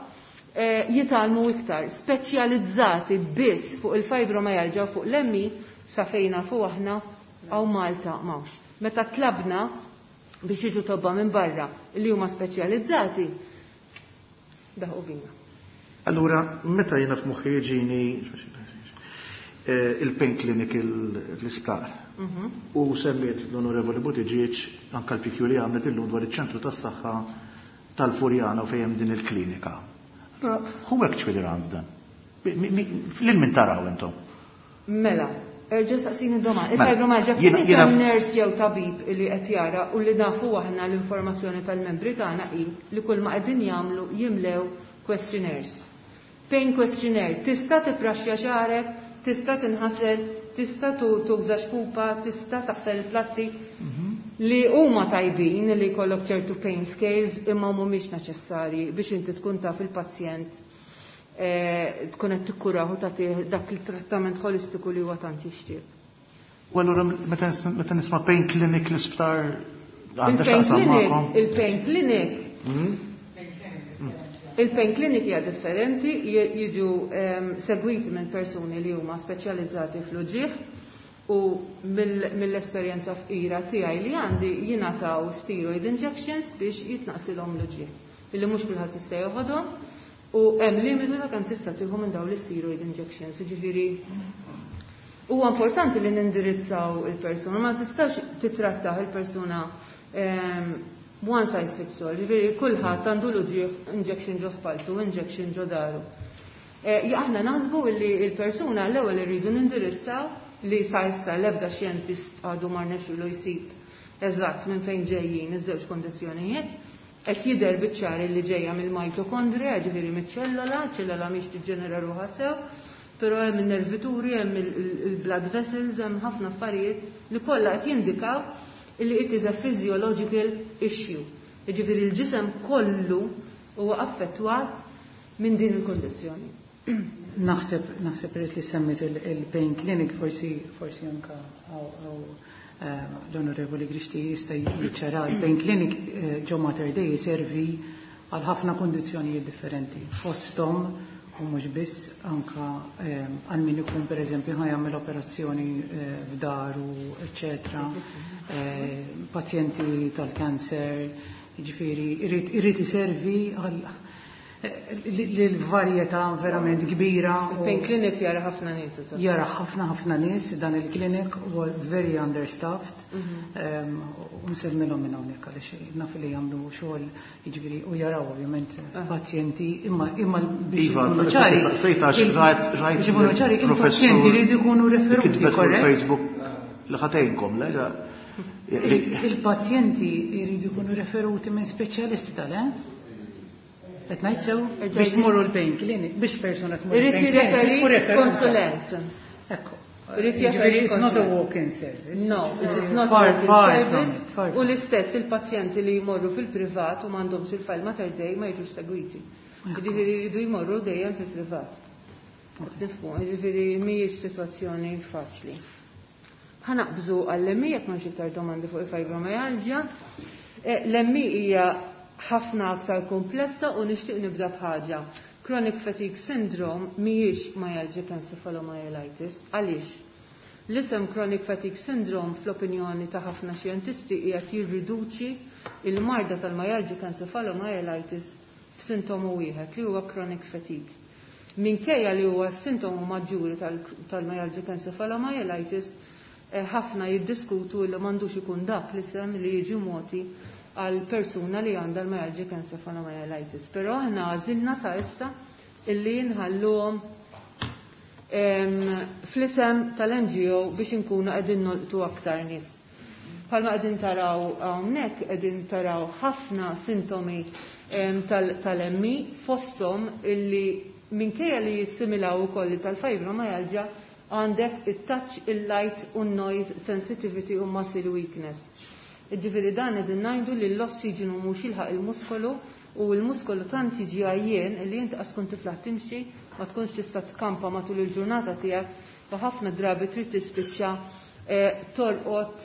eh, jitgħallmu iktar, speċjalizzati biss fuq il-fibromyalgia u fuq l-M E, sa fejn fuq aħna hawn Malta m'hawnx. Meta tlabna biex jiġu tobba minn barra li huma speċjalizzati, daħqu bina. Allura, meta jiena f'moħħi jiġini eh, il-pain clinic l-isptar Mhm. u semmiet l-Onorevoli Buttigieg anka l-P Q li għamlet illum dwar iċ-ċentru tas-saħħa tal-Furjana u fejn din il-klinika. Allura, who actually runs dan? Lil min taraw intom? Mela, erġa' saqsini domanda. Mela, Il-fibromyalgia jiena- kien jiena- hemm nurse jew tabib li qed jara u li nafu aħna l-informazzjoni tal-membri tagħna hi li kull ma qegħdin jagħmlu jimlew questionnaires. Pain questionnaire, tista' tippraxxja xagħrek, tista' tinħasel, tista' tu- tuża xkupa, tista' taħsel il-platti li huma tajbin li jkollok ċertu pain scales, imma mhumiex neċessarji biex inti tkun taf il-pazjent eh, tkun qed tikkurahu, tagħtih dak il-trattament holistiku li huwa tant jixtieq. U allura meta nis- meta nisma' pain clinic l-isptar għandha Il-pain x'taqsam clinic, magħkom? Il-pain clinic, Mhm. il-pain clinic hija differenti, j- jiġu em, segwiti minn persuni li huma speċjalizzati fl-uġigħ u mill- mill-esperjenza fqira tiegħi li għandi jingħataw steroid injections biex jitnaqsilhom l-uġigħ. Illi mhux kulħadd jista' joħodhom u hemm limitu ta' kemm tista' tieħu minn dawn l-steroid injections. Jiġifieri huwa importanti li nindirizzaw il-persuna, ma tistax titrattaħ il-persuna em, one size fits all, ġifieri kulħadd għandu l-uġigħ injection ġo spaltu, injection ġo dahru. Eh, Aħna naħsbu li il-persuna l-ewwel irridu nindirizzaw li sa issa l-ebda xjentist għadu ma rnexxielu jsib eżatt minn fejn ġejjin iż-żewġ kondizzjonijiet. Qed jidher biċ-ċar li ġejja mill-mitokondria, ġifieri miċ-ċellola, ċellola mhix tiġġenera ruħha sew, però hemm in-nervituri, hemm il-blood vessels, hemm ħafna affarijiet li kollha qed jindikaw li it is a physiological issue. Jiġifieri l-ġisem kollu huwa affettwat minn din il-kondizzjoni. Naħseb naħseb peress li semmit il-pain clinic, forsi forsi anka l-Onorevoli Grixti jista' jiċċara. Il-pain clinic ġo Mater Dei servi għal ħafna kondizzjonijiet differenti. Fosthom, u mhux biss, anka għal min ikun, pereżempju, ħa jagħmel operazzjoni f'daru, eċetera, pazjenti tal-kanser, jiġifieri irid iservi għal l-varjetà verament kbira. Il-pain clinic jara ħafna nies. Jara ħafna ħafna nies dan il-clinic, u very understaffed. U nsellmilhom minn hawnhekk għaliex naf li jagħmlu xogħol, jiġifieri, u jaraw ovvjament pazjenti, imma imma biex ikunu ċari. Biex ikunu ċari, il-pazjenti jridu jkunu referuti, korrett? Facebook li ħatejnkom, le? Il-pazjenti jridu jkunu referuti minn speċjalista, le? Qed ngħid sew? Biex tmorru l-pain clinic, biex persuna tmur Irid jirreferi konsulent. Ekku. Irid jirreferi. It's not a walk-in service. No, it is not a walk-in service. U l-istess il-pazjenti li jmorru fil-privat u m'għandhomx il-file Mater Dei ma jiġux segwiti. Jiġifieri jridu jmorru dejjem fil-privat. Nifhmu, jiġifieri mhijiex sitwazzjoni faċli. Ħa naqbżu għall-M E jekk m'hemmx iktar domandi fuq il-fibromyalgia. L-M E hija ħafna aktar komplessa u nixtieq nibda b'ħaġa. Chronic fatigue syndrome mhijiex myalgic encephalomyelitis. Għaliex? L-isem chronic fatigue syndrome, fl-opinjoni ta' ħafna xjentisti, qiegħed jirriduċi il-marda tal-myalgic encephalomyelitis f'sintomu wieħed li huwa chronic fatigue. Minkejja li huwa sintomu maġġuri tal-myalgic encephalomyelitis, ħafna jiddiskutu li m'għandux ikun dak l-isem li jiġi mogħti għal persuna li għandha l-myalgic encephalomyelitis. Però aħna għażilna sa issa illi nħalluhom fl-isem tal-N G O biex inkunu qegħdin nolqtu aktar nies. Bħalma qegħdin taraw hawnhekk, qegħdin taraw ħafna sintomi tal-M E, fosthom illi minkejja li jissimilaw ukoll tal-fibromyalgia, għandek il-touch, il-light u noise sensitivity u muscle weakness. Ġifieri dan qegħdin ngħidu li l-ossiġenu mhux jilħaq il-muskolu u l-muskolu tant jiġi għajjien li inti qas tkun tiflaħ timxi, ma tkunx tista' tkampa matul il-ġurnata tiegħek u ħafna drabi trid tispiċċa torqod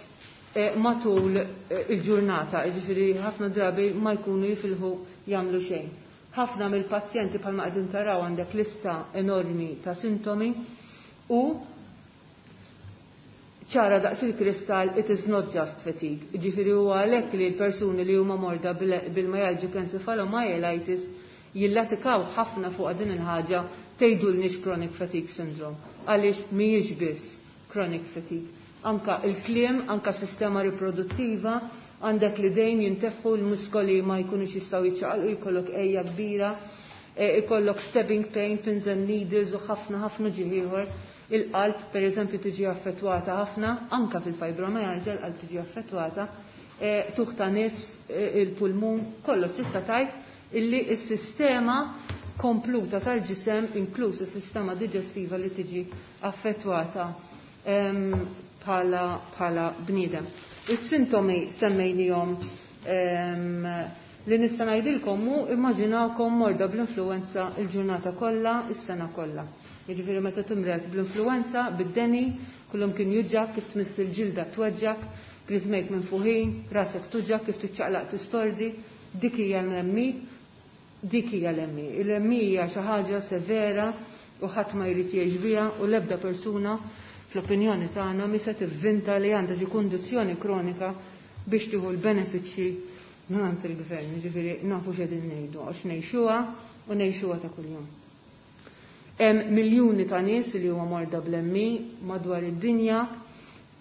matul il-ġurnata, ġifieri ħafna drabi ma jkunu jifilħu jagħmlu xejn. Ħafna mill-pazjenti, bħalma qegħdin taraw, għandek lista enormi ta' sintomi u ċara daqs il-kristall, it is not just fatigue. Ġifieri huwa għalhekk li l-persuni li huma morda bil-myalgic encephalomyelitis jillatikaw ħafna fuq din il-ħaġa, tgħidulniex chronic fatigue syndrome. Għaliex mhijiex biss chronic fatigue. Anka il-kliem, anka sistema riproduttiva, għandek li dejjem jintefħu, l-muskoli ma jkunux jistgħu jiċċaqalqu, jkollok għeja kbira, ikollok stabbing pain, pins and needles u ħafna ħafna uġigħ ieħor. Il-qalb, per eżempju, tiġi affettwata ħafna, anka fil-fibromyalgia l-qalb tiġi affettwata, tuħ ta' nifs, il-pulmun, kollox. Tista' tgħid illi s-sistema kompluta tal-ġisem, inkluż is-sistema digestiva, li tiġi affettwata bħala bħala bniedem. Is-sintomi semmejnihom. Li nista' ngħidilkom hu, immaġinawkom morda bl-influenza il-ġurnata kollha, is-sena kollha. Jiġifieri meta timred bl-influenza, bid-deni, kullum kien juġgħak, kif tmiss il-ġilda tweġġak, griżmejk minfuħin, rasek tuġgħak, kif tiċċaqlaq tistordi, dik hija l-M E, dik hija l-M E. Il-M E hija xi ħaġa severa u ħadd ma jrid jgħix biha u l-ebda persuna, fl-opinjoni tagħna, mi se tivvinta li għandha xi kundizzjoni kronika biex tieħu l-benefiċċji mingħand il-gvern. Ġifieri nafu x'qegħdin ngħidu għax ngħixuha u ngħixuha ta' kuljum. Hemm miljuni ta' nies li huma morda bl-M E madwar id-dinja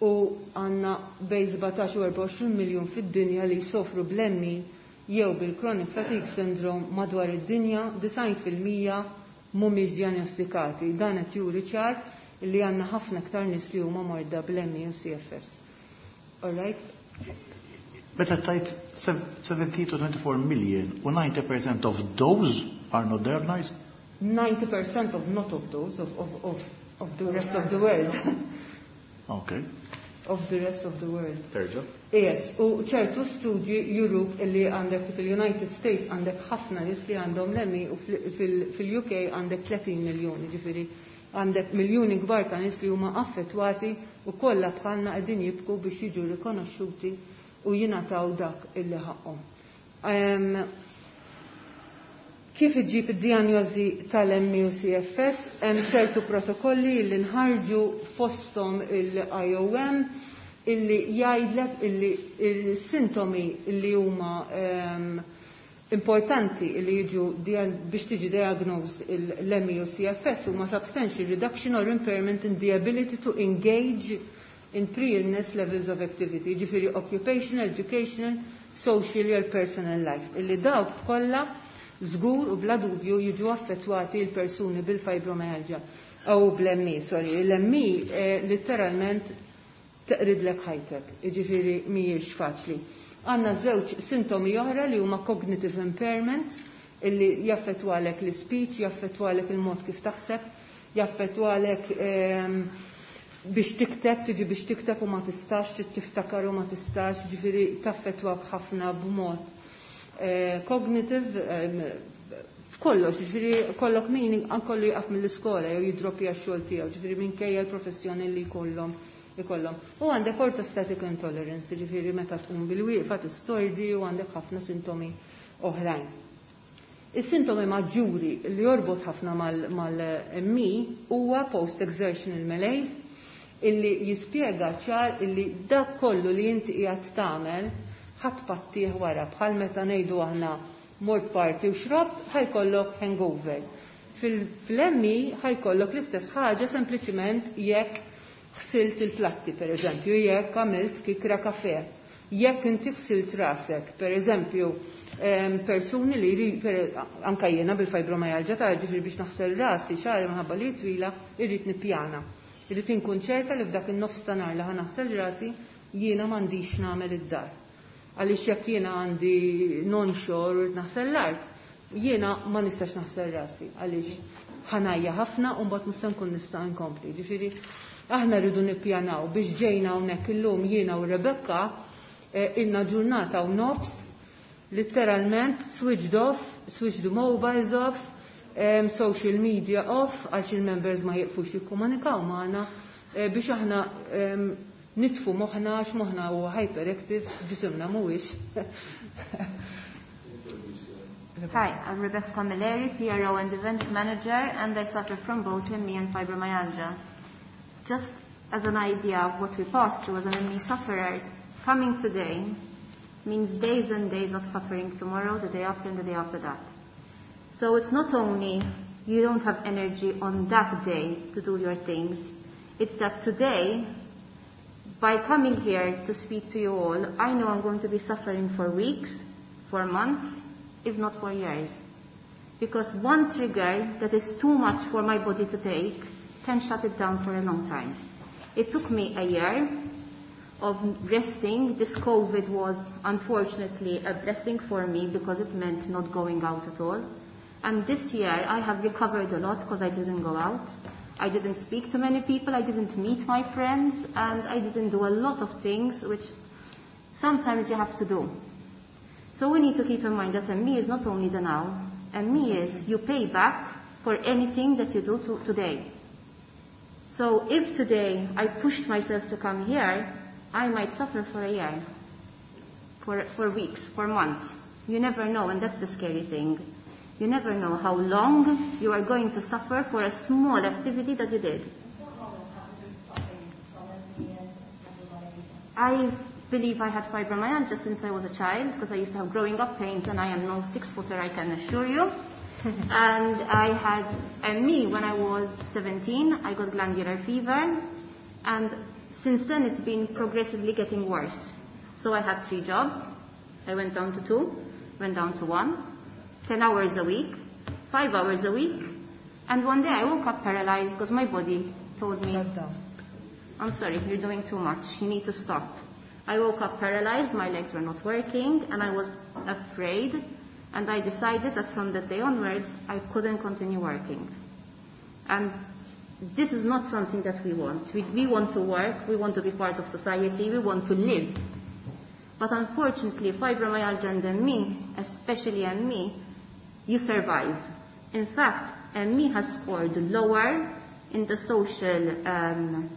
u għandna bejn sbatax u erbgħa u għoxrin miljun fid-dinja li jsofru bl-M E jew bil-chronic fatigue syndrome madwar id-dinja, disgħin fil-mija mhumiex diagnostikati. Dan qed juri ċar li għandna ħafna aktar nies li huma morda bl-M E u C F S. All right? Meta tajt seventeen to twenty-four million u ninety percent of those are not diagnosed? ninety percent of not of those, of, of, of, of the rest of the world. Okay. of the rest of the world. Terġa'? Yes, u ċertu studji juruk illi għandek fil-United States għandek ħafna nies li għandhom l-M E u fil-U K għandek tletin miljoni, ġifieri għandek miljuni kbar ta' nies li huma affettwati u kollha bħalna qegħdin jibku biex jiġu rikonoxxuti u jingħataw dak illi ħaqhom. Em, kif iġġib id-dijanjosi tal-M E u C F S, hemm ċertu protokolli li nħarġu fosthom il-I O M illi jgħidlek illi il-sintomi illi huma, em, importanti illi jiġu dian-, biex tiġi diagnosed l-M E u C F S huma substantial reduction or impairment in the ability to engage in pre-illness levels of activity, ġifieri occupational, educational, social or personal life. Illi dawk kollha żgur u bla dubju jiġu affettwati l-persuni bil-fibromyalgia u bl-M E, sorry, l-M E, eh, letteralment teqridlek ħajtek, jiġifieri mhijiex faċli. Għandna żewġ sintomi oħra li huma cognitive impairment, illi jaffettwalek l-speech, jaffettwalek il-mod kif taħseb, jaffettwalek, ehm, biex tikteb, tiġi biex tikteb u ma tistax, trid tiftakar u ma tistax, ġifieri taffettwak ħafna b'mod, eh, cognitive, ehm, f'kollox, ġifieri kollok min ankollu jaqaf mill-iskola jew jidroppja x-xogħol tiegħu, ġifieri minkejja l-professjoni li jkollhom ikollhom. U għandek orthostatic intolerance, ġifieri meta tqum bil-wieqfa tistordi u għandek ħafna sintomi oħrajn. Is-sintomi maġġuri li jorbot ħafna mal-M E huwa post-exertional malaise, illi jispjega ċar illi dak kollu li inti qiegħed tagħmel ħadd pattih wara, bħal meta ngħidu aħna mort party u xrobt ħajkollok hangover. Fil-M E ħajkollok l-istess ħaġa sempliċiment jekk ħsilt il-platti, per eżempju, jekk għamilt kikra kafe, jekk inti ħsilt rasek, per eżempju, em, persuni li jri-, per, anka jiena bil-fibromyalgia ta' ġifieri biex naħsel rasi xagħri minħabba li twila, irrid nippjana. Irrid inkun ċerta li f'dak in-nofs ta' nhar li ħa naħsel rasi jiena m'għandix nagħmel id-dar. Għaliex jekk jiena għandi non-xor u rrid naħsel l-art, jiena ma nistax naħsel rasi għaliex ħanajja ħafna u mbagħad nista' nkun nista' nkompli. Ġifieri aħna rridu nippjanaw biex ġejna hawnhekk illum jiena u Rebecca, eh, ilna ġurnata u nofs, letteralment switched off, switched the mobiles off, um, social media off, għax il-members ma jieqfux jikkomunikaw magħna, eh, biex aħna, um, nitfu moħħna, għax moħħna huwa hyperactive, ġisimna mhuwiex. Hi, I'm Rebecca Camilleri, P R O and Events Manager, and I suffer from both M E and fibromyalgia. Just as an idea of what we passed through as an M E sufferer, coming today means days and days of suffering tomorrow, the day after, and the day after that. So it's not only you don't have energy on that day to do your things, it's that today, by coming here to speak to you all, I know I'm going to be suffering for weeks, for months, if not for years. Because one trigger that is too much for my body to take can shut it down for a long time. It took me a year of resting. This COVID was unfortunately a blessing for me because it meant not going out at all. And this year I have recovered a lot because I didn't go out. I didn't speak to many people, I didn't meet my friends, and I didn't do a lot of things which sometimes you have to do. So we need to keep in mind that M E is not only the now. M E is you pay back for anything that you do to today. So if today I pushed myself to come here, I might suffer for a year, for, for weeks, for months. You never know, and that's the scary thing. You never know how long you are going to suffer for a small activity that you did. I believe I had fibromyalgia since I was a child, because I used to have growing up pains, and I am no six-footer, I can assure you. And I had M E when I was seventeen. I got glandular fever, and since then it's been progressively getting worse. So I had three jobs. I went down to two, went down to one, ten hours a week, five hours a week, and one day I woke up paralyzed because my body told me, Shut down. I'm sorry, you're doing too much, you need to stop. I woke up paralyzed, my legs were not working, and I was afraid, and I decided that from that day onwards, I couldn't continue working. And This is not something that we want. We, we want to work, we want to be part of society, we want to live. But unfortunately, fibromyalgia and M E, especially M E, you survive. In fact, M E has scored lower in the social um,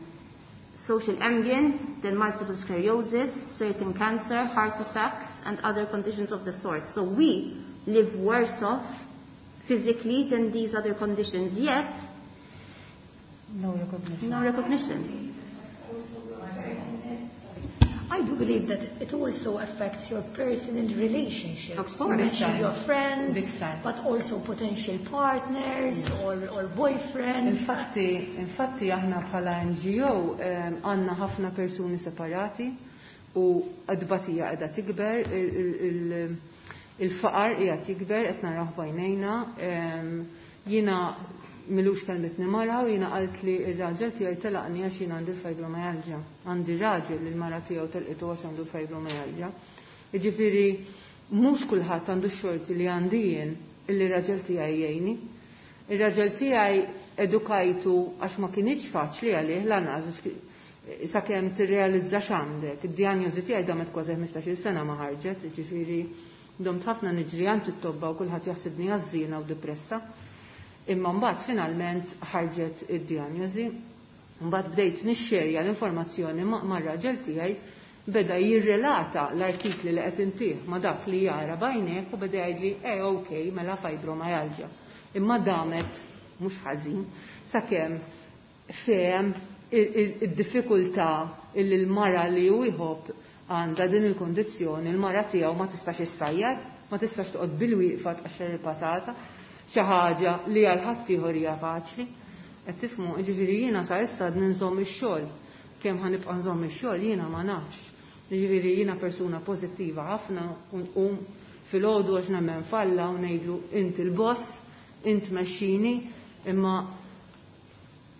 social ambient than multiple sclerosis, certain cancer, heart attacks, and other conditions of the sort. So we live worse off physically than these other conditions, yet no recognition. No recognition. I do believe that it also affects your personal relationships. Of course. You mentioned your friends, Big time. But also potential partners or, or boyfriends. Infatti, infatti aħna bħala N G O għandna ħafna persuni separati u t-tbatija qiegħda tikber, il-faqar qiegħed jikber qed naraw b'għajnejna. Jiena m'ilux kellmitni mara u jiena qalt li il-raġel tiegħi telaqni għax jiena għandi l-fibromyalgia. Għandi raġel li l-mara tiegħu telqitu għax għandu l-fibromyalgia. Jiġifieri mhux kulħadd għandu x-xorti li għandi jien illi raġel tiegħi jgħinni. Ir-raġel tiegħi edukajtu għax ma kinitx faċli għalih lanqas sakemm tirrealizza x'għandek. Id-dijanjosi tiegħi damet kważi ħmistax-il sena ma ħarġet, jiġifieri domt ħafna niġri għand it-tobba u kulħadd jaħsibni għażżiena u depressa. Imma mbagħad finalment ħarġet id-dijanjosi. Mbagħad bdejt nixxerja l-informazzjoni mar-raġel tiegħi, beda jirrelata l-artikli li qed intih ma dak li jara b'għajnejh u beda jgħidli eh okej, mela fibromyalgia. Imma damet mhux ħażin sakemm fehem id-diffikultà illi l-mara li hu jħobb għandha din il-kondizzjoni, il-mara tiegħu ma tistax issajjar, ma tistax toqgħod bil-wieqfa tqaxxar il-patata, xi ħaġa li għal ħaddieħor hija faċli. Qed tifhmu, jiġifieri jiena sa issa għadni nżomm ix-xogħol. Kemm ħa nibqa' nżomm ix-xogħol jiena ma nafx. Jiġifieri jiena persuna pożittiva ħafna u nqum filgħodu għax nemmen f'Alla u ngħidlu int il-boss, int mexxini, imma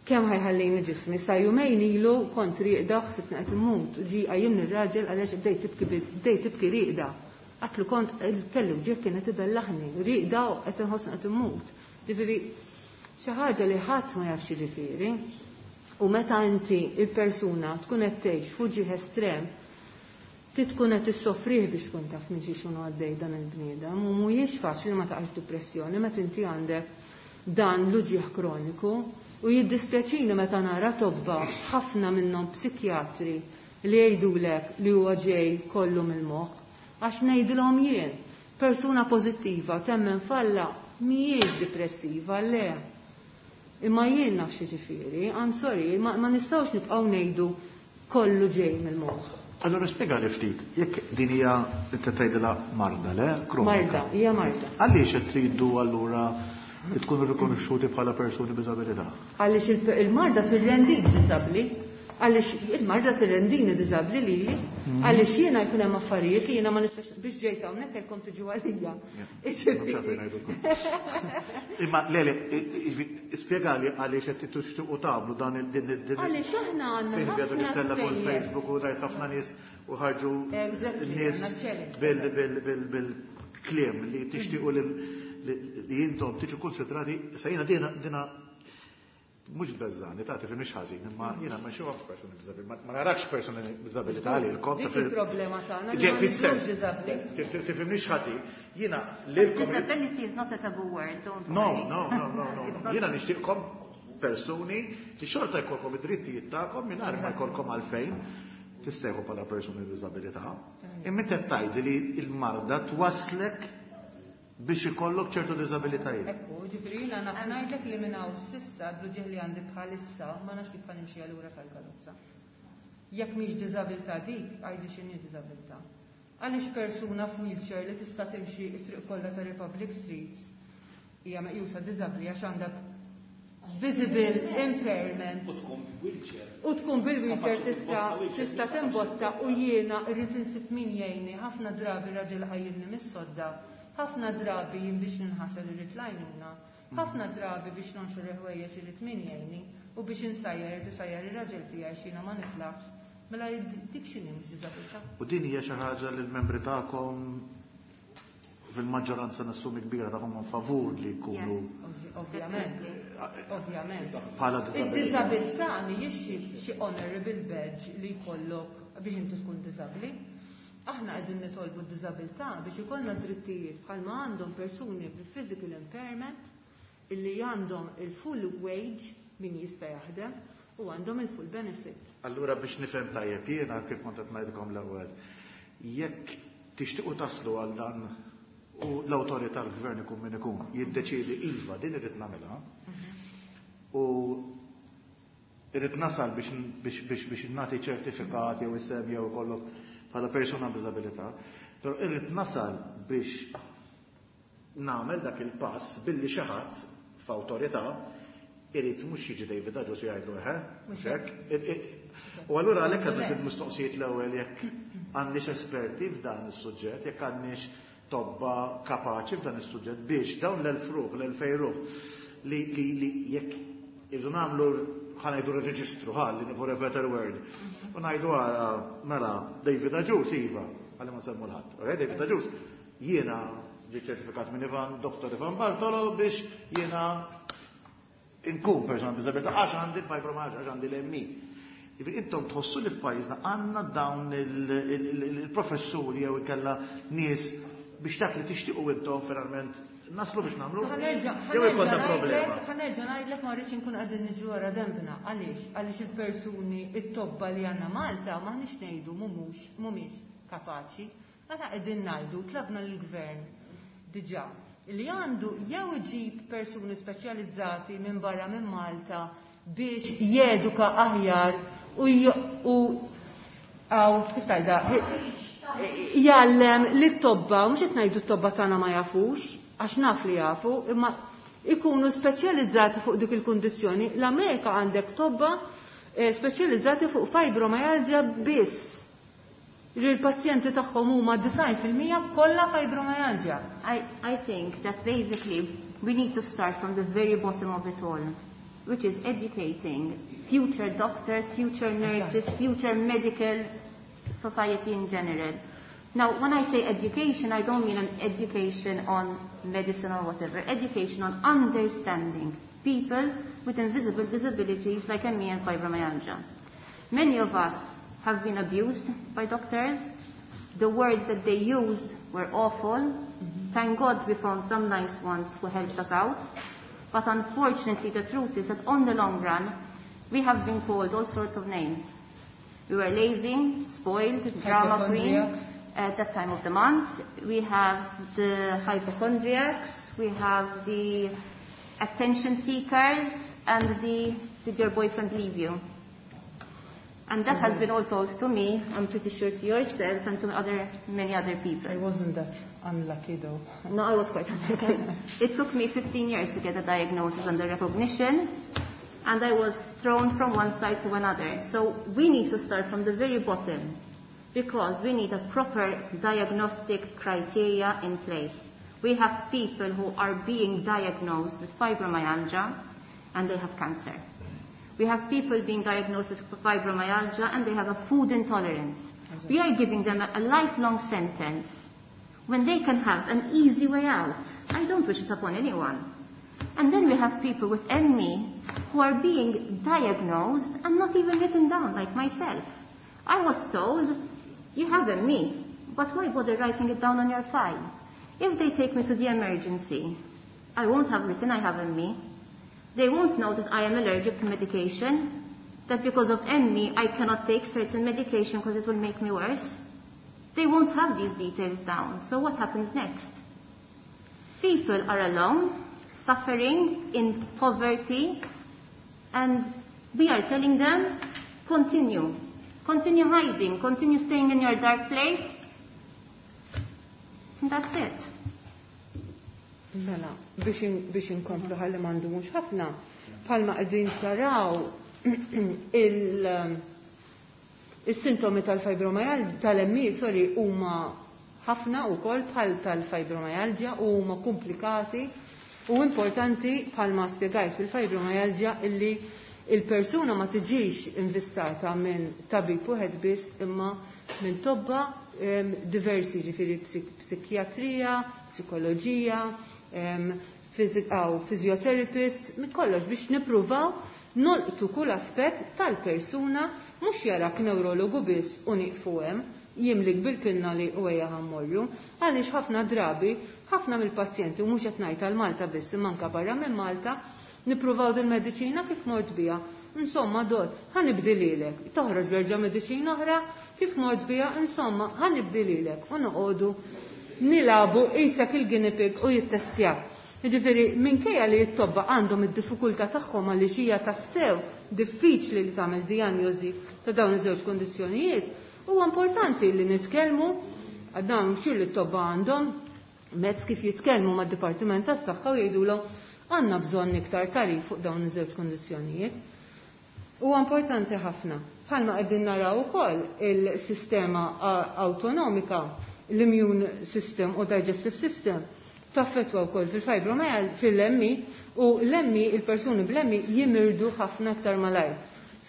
kemm ħa jħallini ġismi? Sa jumejn ilu kont rieqda, ħsibtni qed immut. Ġi qajjimni r-raġel għaliex bdejt tibki bdejt tibki rieqda. Għedtlu kont kelli wġigħ kienet ibellaħni, rieqda u qed inħossni qed immut. Ġifieri xi ħaġa li ħadd ma jafx jiġifieri. U meta inti il-persuna tkun qed tgħix f'uġigħ estrem, ti tkun qed issofrih biex tkun taf minn xi xunu għaddej dan il-bniedem u mhuwiex faċli ma taqax depressjoni meta inti għandek dan l-uġigħ kroniku. U jiddispjaċini meta nara tobba, ħafna minnhom psikjatri, li jgħidulek li huwa ġej kollu mill-moħħ. Għax ngħidilhom jien, persuna pożittiva temmen f'Alla mhijiex depressiva, le. Imma jien naf xi ġifieri, I'm sorry, ma, ma nistgħux nibqgħu ngħidu kollu ġej mill-moħħ. Allora spjega li ftit, jekk din hija inti tgħidilha marda, le? Kronika. Marda, hija marda. Għaliex qed tridu allura li tkunu rikonoxxuti bħala persuni b'diżabilità? Għaliex il- il-marda tirrendik diżabbli, għaliex il-marda tirrendini diżabbli lili, għaliex jiena jkun hemm affarijiet li jiena ma nistax biex ġejt hawnhekk kellkom tiġu għalija. Mhux għalfejn ngħidulkom. Imma le le, spjega li għaliex qed tixtiequ tagħmlu dan il din din Għaliex aħna għandna Silvia dak ħafna it-tella fuq spejjeż. il-Facebook u rajt ħafna nies u ħarġu Exactly, nies għandna challenge. bil bil bil bil-kliem li tixtiequ li li intom tiġu konsidrati sa jiena dina dina mhux beżani, ta' tifhimniex ħażin, imma jiena ma nxufx persuni b'diżabilità, ma narakx persuni b'diżabilità li l-kom. Dik il-problema tagħna li Ġe, ma fis-sens, nidhrux diżabbli. tifhimniex ħażin, jiena lilkom Disability is not a taboo word, don't No, worry. no, no, no, no. no. Jiena nixtieqkom persuni li xorta jkollkom id-drittijiet tagħkom mingħajr ma jkollkom għalfejn tissejħu bħala persuni b'diżabilità. Imma inti qed tgħidli li l-marda twaslek biex ikollok ċertu diżabilitajiet. Ekku, ġifieri jiena naf ngħidlek li minn hawn s'issa bl-uġigħ li għandi bħalissa ma nafx kif ħa nimxi allura sal-karozza. Jekk mhix diżabilità dik, għajdi x'inhi diżabilità. Għaliex persuna f'wheelchair li tista' timxi t-triq kollha ta' Republic Street hija meqjusa diżabbli għax għandha visible impairment U tkun wheelchair. u tkun bil-wheelchair Kapaċi tista' timbotta wheelchair, tista' kapaċi timbotta u jiena rrid insib min jgħinni. Ħafna drabi raġel qajjimni mis-sodda, ħafna drabi jien biex ninħasel irrid l-għajnuna, ħafna drabi biex nonxor il-ħwejjeġ irrid min jgħinni u biex insajjar irid isajjar ir-raġel tiegħi x'jiena ma niflaħx. Mela dik x'inhi mhux diżabilità? U din hija xi ħaġa li l-membri tagħkom fil-maġġoranza nassumi kbira tagħhom favur li jkunu Ovvjament. Ovvjament. Bħala disabilità. Id-disabilità mhijiex xi honorable badge li jkollok biex inti tkun disabbli. Aħna qegħdin nitolbu d-disabilità biex ikollna drittijiet bħalma għandhom persuni bi physical impairment illi għandhom il-full wage min jista' jaħdem u għandhom il-full benefit. Allura biex nifhem tajjeb jiena kif kont qed ngħidilkom l-ewwel, jekk tixtiequ taslu għal dan u l-awtorità l-gvern ikun min ikun jiddeċiedi iva din irrid nagħmilha u irrid nasal biex biex biex biex nagħti ċertifikat jew isem jew ikollok bħala persuna b'diżabilità, però irrid nasal biex nagħmel dak il-pass billi xi ħadd f'awtorità irid mhux jiġi David Agius jgħidlu eħe, mhux hekk. U allura għalhekk għandek il-mistoqsijiet l-ewwel jekk għandniex esperti f'dan is-suġġett, jekk għandniex tobba kapaċi f'dan is-suġġett biex dawn l-elf ruħ, l-elfej ruħ li li li jekk irridu nagħmlu ħa ngħidu reġistru ħalli for a better word. U ngħidu għara mela David Agius iva, ħalli ma semmu l-ħadd. Okay, David Agius jiena ġi ċertifikat minn Ivan, Doktor Ivan Bartolo biex jiena inkun persona b'diżabilità għax għandi fibromyalgia, għax għandi l-M E. Jiġifieri intom tħossu li f'pajjiżna għandna dawn il-professuri jew ikella nies biex dak li tixtiequ intom finalment naslu biex nagħmlu. Ħa nerġa', Jew ikollna ħa nerġa' problema. ngħidlek, ħa nerġa' ngħidlek ma rridx inkun qegħdin niġu wara dembna. Għaliex? Għaliex il-persuni, it-tobba li għandna Malta m'aħniex ngħidu mhumiex, mhumiex kapaċi. Meta qegħdin ngħidu tlabna lill-gvern diġà li għandu jew iġib persuni speċjalizzati minn barra minn Malta biex jeduka aħjar u j-, u għaw, kif tajda, jgħallem li t-tobba, mhux qed ngħidu t-tobba tagħna ma jafux, għax naf li jafu, imma ikunu speċjalizzati fuq dik il-kundizzjoni. L-Amerika għandek tobba, eh, speċjalizzati fuq fibromyalgia biss. Il-pazjenti tagħhom huma disgħin fil-mija kollha fibromyalgia. I, I think that basically we need to start from the very bottom of it all, which is educating future doctors, future nurses, future medical society in general. Now, when I say education, I don't mean an education on medicine or whatever. Education on understanding people with invisible disabilities like M E and fibromyalgia. Many of us have been abused by doctors. The words that they used were awful. Mm-hmm. Thank God we found some nice ones who helped us out. But unfortunately, the truth is that on the long run, we have been called all sorts of names. We were lazy, spoiled, drama queen. Hypochondriacs. At that time of the month, we have the hypochondriacs, we have the attention seekers, and the did your boyfriend leave you? And that has been all told to me, I'm pretty sure to yourself and to other, many other people. I wasn't that unlucky though. No, I was quite unlucky. It took me fifteen years to get a diagnosis and the recognition, and I was thrown from one side to another. So we need to start from the very bottom, because we need a proper diagnostic criteria in place. We have people who are being diagnosed with fibromyalgia and they have cancer. We have people being diagnosed with fibromyalgia and they have a food intolerance. We are giving them a, a lifelong sentence when they can have an easy way out. I don't wish it upon anyone. And then we have people with M E who are being diagnosed and not even written down, like myself. I was told, you have M E, but why bother writing it down on your file? If they take me to the emergency, I won't have written I have M E. They won't know that I am allergic to medication, that because of M E I cannot take certain medication 'cause it will make me worse. They won't have these details down. So what happens next? People are alone, suffering in poverty, and we are telling them, continue. Continue hiding, continue staying in your dark place. And that's it. Mela, biex in-, biex inkomplu ħalli m'għandu mhux ħafna, bħalma qegħdin taraw il-, il-sintomi tal-fibromyalgia, tal-M E, sorry, huma ħafna wkoll bħal tal-fibromyalgia u huma komplikati u importanti bħalma spjegajt fil-fibromyalgia illi il-persuna ma tiġix invistata minn tabib wieħed biss imma minn tobba, em, diversi, ġifieri psik-, psikjatrija, psikoloġija, em, physiotherapist, minn kollox biex nippruvaw nolqtu kull aspett tal-persuna, mhux jarak neurologu biss u nieqfu hemm, jimlik bil-pinna li u ejja ħammorru, għaliex ħafna drabi, ħafna mill-pazjenti, u mhux qed ngħid għal Malta biss, imma anke barra minn Malta, nippruvaw din mediċina kif mort biha. Insomma, dot, ħa nibdililek. Toħroġ berġa' mediċina oħra, kif mort biha, insomma, ħa nibdililek. U noqogħdu nilabu qisek il-guinea pig u jittestjaw. Jiġifieri, minkejja li t-tobba għandhom id-diffikultà tagħhom għaliex hija tassew diffiċli li tagħmel dijanjosi ta' dawn iż-żewġ kondizzjonijiet, huwa importanti li nitkellmu għad xir li t-tobba għandhom mezz kif jitkellmu mad-Dipartiment tas-Saħħa u jgħidulhom għandna bżonn iktar tarif fuq dawn iż-żewġ kondizzjonijiet. Huwa importanti ħafna. Bħalma qegħdin naraw ukoll il-sistema autonomika, l-immune system u digestive system taffetwa wkoll fil-fibromyalgia, fil-M E, u l-M E, il-persuni bl-M E jimirdu ħafna aktar malajr.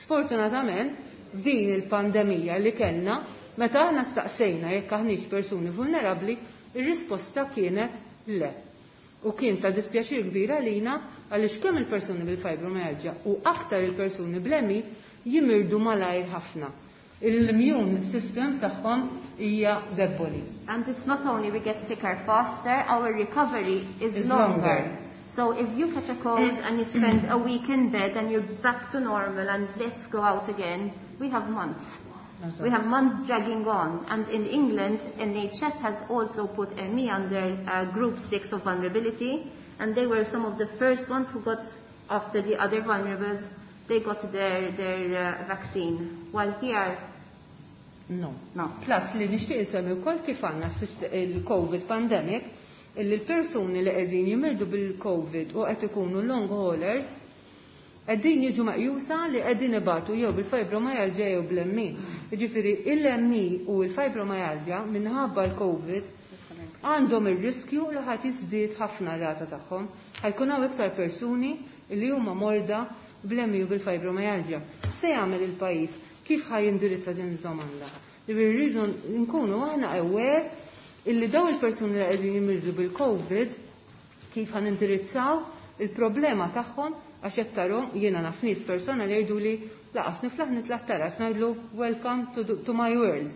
Sfortunatament, f'din il-pandemija li kellna, meta aħna staqsejna jekk aħniex persuni vulnerabbli, ir-risposta kienet le. U kien ta' dispjaċir kbir għalina għaliex kemm il-persuni bil-fibromyalgia u aktar il-persuni bl-M E jimirdu malajr ħafna. Il-immune system tagħhom hija debboli. And it's not only we get sicker faster, our recovery is, Is longer. longer. So if you catch a cold and you spend a week in bed and you're back to normal and let's go out again, we have months. That's We right. have months dragging on. And in England, N H S has also put M E under, uh, group six of vulnerability, and they were some of the first ones who got, after the other vulnerables, they got their, their, uh, vaccine. While here, No. No. Plus li nixtieq insemmi wkoll kif għandna s-sist-, il-COVID pandemic, illi l-persuni li qegħdin jimirdu bil-COVID u qed ikunu long haulers, qegħdin jiġu meqjusa li qegħdin ibatu jew bil-fibromyalgia jew bl-M E. Jiġifieri il-M E u l-fibromyalgia minħabba l-COVID għandhom ir-riskju li ħadd jiżdied ħafna r-rata tagħhom. Ħajkun hawn iktar persuni li huma morda bl-M E u bil-fibromyalgia. Se jagħmel il-pajjiż? Kif ħaj jindirizza din id-domanda? Jiġifieri rridu nkunu aħna aware illi daw il-persuni li qegħdin jimirdu bil-COVID kif ħan indirizzaw il-problema tagħhom, għax qed tarhom jiena naf nies persona li jgħidu li laqas niflaħ nitla' taraġ, ngħidlu welcome to, to my world.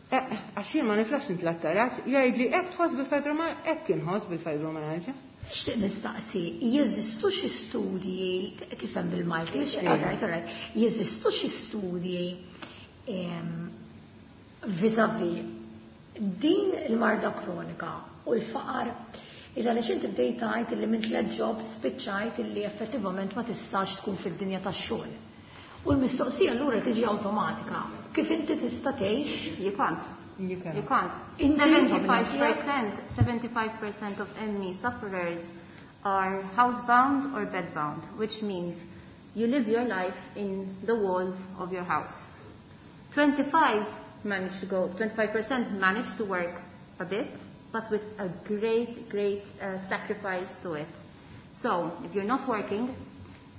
Eh, għax jien ma niflaħx nitla' taraġ, jgħidli hekk tħoss bil-fibromyalgia, hekk inħoss bil-fibromyalgia. Nixtieq nistaqsi, jeżistu xi studji, tifhem bil-Malti, Iva. all right, all right, jeżistu xi studji, em, vis-a-vis din il-marda kronika u l-faqar, illa li xinti bdejt tgħid illi minn tliet jobs spiċċajt illi effettivament ma tistax tkun fid-dinja tax-xogħol. U l-mistoqsija allura tiġi awtomatika. Kif inti tista' tgħix? You can't. You can't. You can't. Inti Seventy-five percent, seventy-five percent of M E sufferers are housebound or bedbound, which means you live your life in the walls of your house. twenty-five manage to go, twenty-five percent manage to work a bit, but with a great, great, uh, sacrifice to it. So, if you're not working,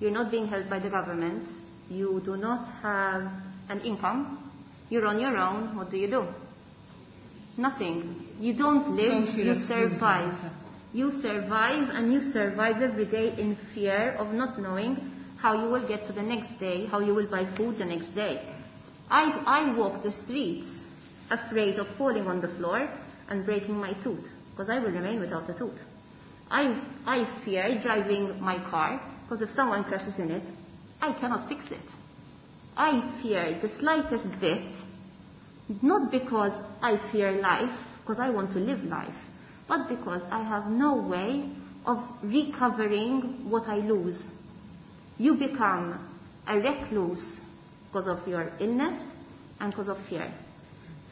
you're not being helped by the government, you do not have an income, you're on your own, what do you do? Nothing. You don't live, Social you exclusion. survive. You survive, and you survive every day in fear of not knowing how you will get to the next day, how you will buy food the next day. I, I walk the streets afraid of falling on the floor and breaking my tooth, 'cause I will remain without a tooth. I, I fear driving my car, 'cause if someone crashes in it, I cannot fix it. I fear the slightest bit, not because I fear life, 'cause I want to live life, but because I have no way of recovering what I lose. You become a recluse 'cause of your illness and 'cause of fear.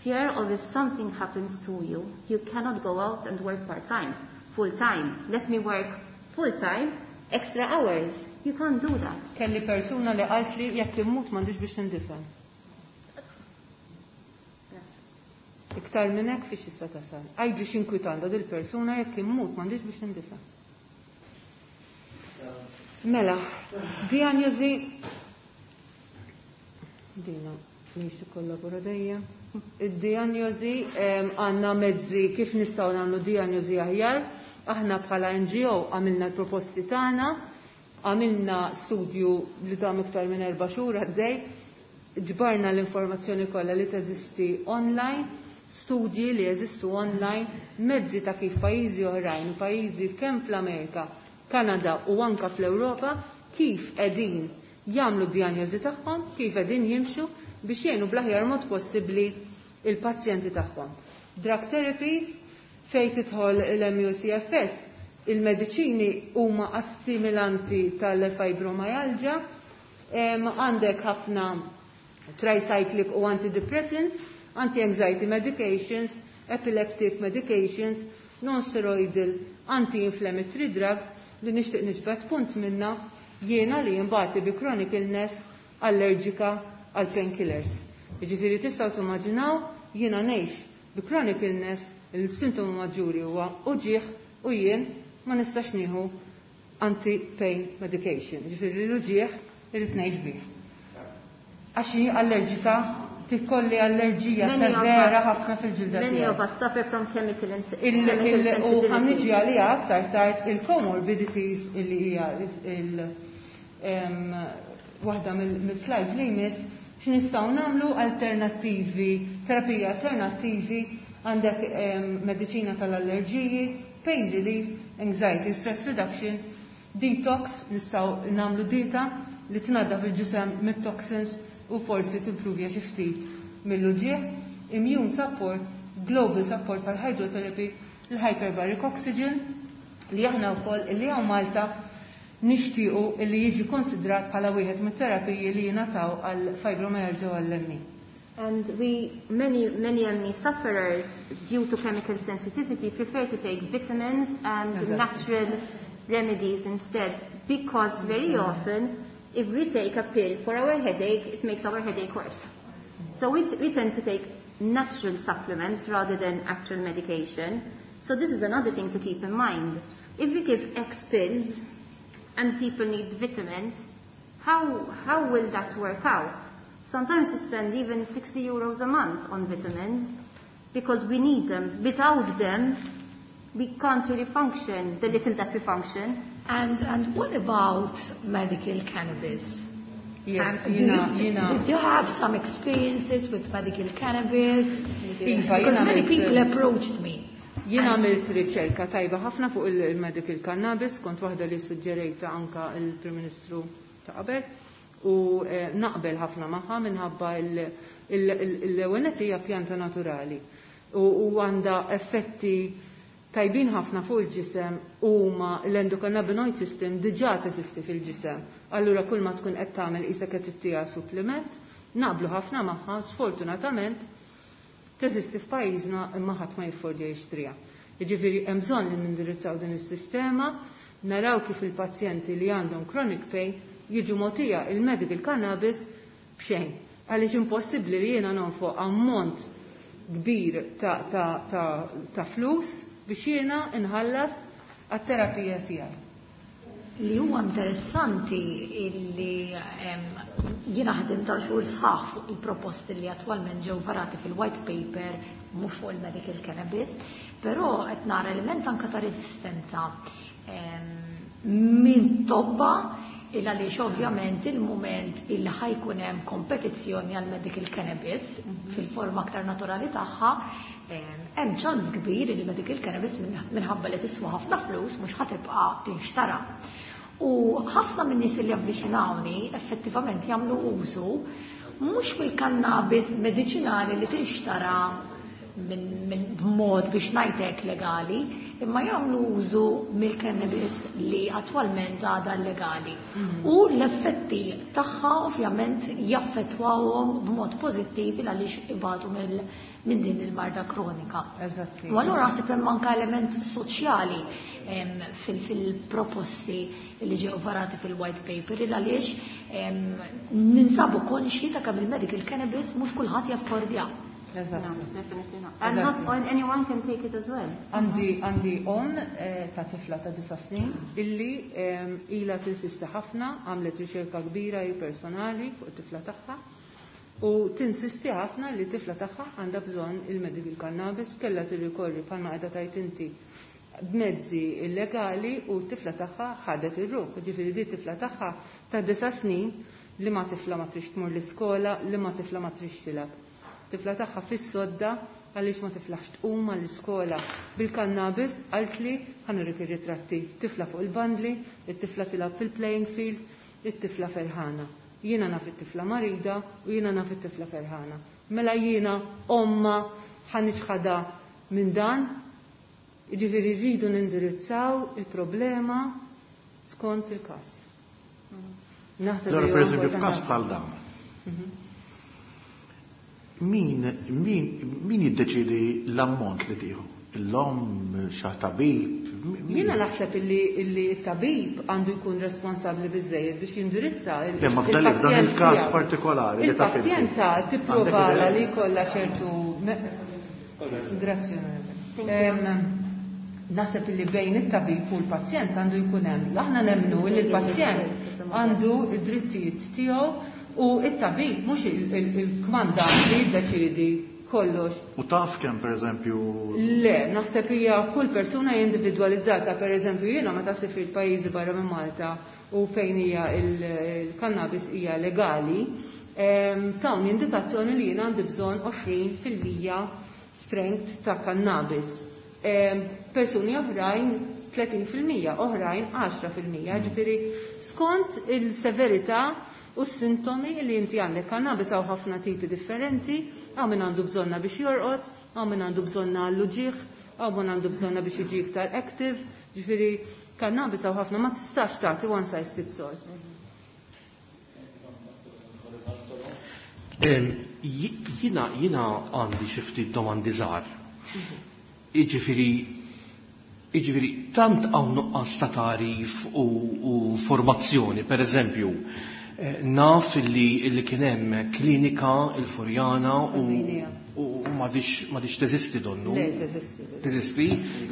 Fear of if something happens to you, you cannot go out and work part-time, full-time. Let me work full-time, extra hours. You can't do that. Kelli persuna li qalt li jekk immut m'għandix biex nindifen. Iktar minn hekk fiex issa tasal. Għidli x'inkwitanda dil persuna jekk immut m'għandix biex nindifen. Mela, diagnosi dina mhix tikkollabora dejjem. Id-diagnosi, em, għandna mezzi kif nistgħu nagħmlu diagnosi aħjar Aħna bħala N G O għamilna l-proposti tagħna, għamilna studju li dam iktar minn erba' xhur għaddej, ġbarna l-informazzjoni kollha li teżisti online, studji li jeżistu online, mezzi ta' kif pajjiżi oħrajn, pajjiżi kemm fl-Amerika, Kanada u anka fl-Ewropa, kif qegħdin jagħmlu d-dijanjosi tagħhom, kif qegħdin jimxu biex jgħinu bl-aħjar mod possibbli il-pazjenti tagħhom. Drug therapies, fejn tidħol l-M U C F S, il-mediċini huma assimilanti tal-fibromyalgia, għandek ħafna tricyclic u antidepressants, anti-anxiety medications, epileptic medications, non-steroidal anti-inflammatory drugs li nixtieq niġbed punt minna jiena li jimbati bi chronic illness allerġika għal painkillers. Jiġifieri tistgħu timmaġinaw jiena ngħix bi chronic illness, il-sintomu maġġuri huwa uġieħ u jien ma nistax nieħu anti-pain medication. Jiġifieri l-uġieħ irrid ngħix bih. Għax allerġika, tikolli allerġija severa ħafna fil-ġilda. Many of us suffer from chemical, chemical sensitivity. U ħa niġi għalija aktar tard il-comorbidities illi hija il waħda mill-slides li jmiss, x'nistgħu nagħmlu alternattivi, terapija alternattivi, għandek mediċina tal-allerġiji, pain relief, anxiety, stress reduction, detox, nistgħu nagħmlu dieta li tnaddaf il-ġisem mit-toxins u forsi timprovja xi ftit mill-uġieħ, immune support, global support pal hydrotherapy, il-hyperbaric oxygen, li aħna wkoll li hawn Malta nixtiequ li jiġi konsidrat bħala wieħed mit-terapiji li jingħataw għal fibromyalgia u għall-M E. And we, many, many M E sufferers, due to chemical sensitivity, prefer to take vitamins and exactly. natural remedies instead, because very often, if we take a pill for our headache, it makes our headache worse. So we, we tend to take natural supplements rather than actual medication. So this is another thing to keep in mind. If we give X pills and people need vitamins, how, how will that work out? Sometimes we spend even sixty euros a month on vitamins because we need them. Without them, we can't really function, the little that we function. And, and what about medical cannabis? Yes, Um, do jiena, you, jiena. Did you have some experiences with medical cannabis? Iva, Because jiena many għamilt- people approached me. Jiena għamilt riċerka tajba ħafna fuq il-medical cannabis, kont waħda li suġġerejta anka il-Prim Ministru ta' qabel, u eh, naqbel ħafna magħha minħabba l-ewwel hija pjanta naturali u u għandha effetti tajbin ħafna fuq il-ġisem u ma l-endocannabinoid system diġà teżisti fil-ġisem. Allura kull ma tkun qed tagħmel qisek qed ittiha supplement, naqblu ħafna magħha, sfortunatament teżisti f'pajjiżna imma ħadd ma jiffordja jixtriha. Jiġifieri hemm bżonn li nindirizzaw din is-sistema, naraw kif il-pazjenti li għandhom chronic pain jiġu mogħtija il-medical cannabis b'xejn. Għaliex impossibbli li jiena nonfoq ammont kbir ta', ta, ta, ta flus biex jiena inħallas għat-terapija tiegħi. Li huwa interessanti illi em, jiena ħdim ta' xhur sħaħ fuq il-proposti li attwalment ġew varati fil-white paper, mhux fuq il-medical cannabis, però qed nara element anka ta' resistenza em, minn tobba, il għaliex ovvjament il-moment illi ħa jkun hemm kompetizzjoni għal medical cannabis fil-forma aktar naturali tagħha, em, hemm ċans kbir li medical cannabis minħabba li tiswa ħafna flus mhux ħa tibqa' tinxtara. U ħafna minn nies li avviċinawni effettivament jagħmlu użu mhux mill-kannabis mediċinali li tinxtara minn min b'mod biex ngħidlek legali, imma jagħmlu użu mill-cannabis li attwalment għadha legali. U l-effetti tagħha ovvjament jaffettwawhom b'mod pożittiv għaliex ibatu minn din il-marda kronika. Eżatti. U allura naħseb hemm anke element soċjali em, fil- fil-proposti li ġew varati fil-white paper, il għaliex em, ninsabu konxi ta' kemm il-medical cannabis mhux kulħadd jaffordja. Eżatt. No, definitely not. And not all, anyone can take it as well. Għandi għandi om eh, ta' tifla ta' disa snin illi em, ila tinsisti ħafna, għamlet riċerka kbira hi personali fuq it-tifla tagħha u tinsisti ħafna li tifla tagħha għandha bżonn il-medical cannabis, kellha tirrikorri bħalma qiegħda tajt inti b'mezzi illegali u t-tifla tagħha ħadet ir-ruħ. Ġifieri di t-tifla tagħha ta' disa' snin li ma tifla ma trix tmur l-iskola, li ma tifla ma trix tilgħab. Tifla tagħha fis-sodda għaliex ma tiflaħx tqum għall-iskola bil-kannabis, qaltli ħa nurik ir-ritratti. Tifla fuq il-bandli, it-tifla tilgħab fil-playing field, it-tifla ferħana. Jiena naf it-tifla marida u jiena naf it-tifla ferħana. Mela jiena omma ħa niċħadha minn dan, jiġifieri rridu nindirizzaw il-problema skont il-każ. Naħseb Allora, li per huwa eżempju, f'każ importanti. bħal dan, min, min, min jiddeċidi l-ammont li tieħu? L-omm, xi tabib? Min- Jiena naħseb illi illi t-tabib għandu jkun responsabbli biżejjed biex jindirizza il- Le, ma f'dan il- f'dan il-pazjent il-każ tiegħu. partikolari li taf inti. Il-pazjenta tipprova Għandek idea? li jkollha ċertu me- Grazzi, onorevole. Em, Naħseb illi bejn it-tabib u l-pazjent għandu jkun hemm. Aħna nemmnu li l-pazjent għandu id-drittijiet tiegħu u it-tabib mhux il- il- il-kmandant li jiddeċiedi kollox. U taf kemm, per eżempju, Le, naħseb hija kull persuna hija individwalizzata. Per eżempju, jiena meta sifirt pajjiżi barra minn Malta u fejn hija il- il-cannabis hija legali, em, tawni indikazzjoni li jiena għandi bżonn għoxrin fil-mija strength ta' cannabis. Em, Persuni oħrajn tletin fil-mija, oħrajn għaxra fil-mija, ġifieri skont il-severità u s-sintomi li inti għandek. Cannabis hawn ħafna tipi differenti, hawn min għandu bżonna biex jorqod, hawn min għandu bżonna għall-uġigħ, hawn min għandu bżonna biex jiġi iktar active, ġifieri cannabis hawn ħafna, ma tistax tagħti one size fits all. Em, ji-, Jiena, jiena għandi xi ftit domandi żgħar. Jiġifieri, jiġifieri tant hawn nuqqas ta' tagħrif u, u formazzjoni, per eżempju, eh, naf illi, illi kien hemm klinika il-Furjana u, Sardinia. u m'għadix, m'għadix teżisti donnu. Le, teżisti. Teżisti,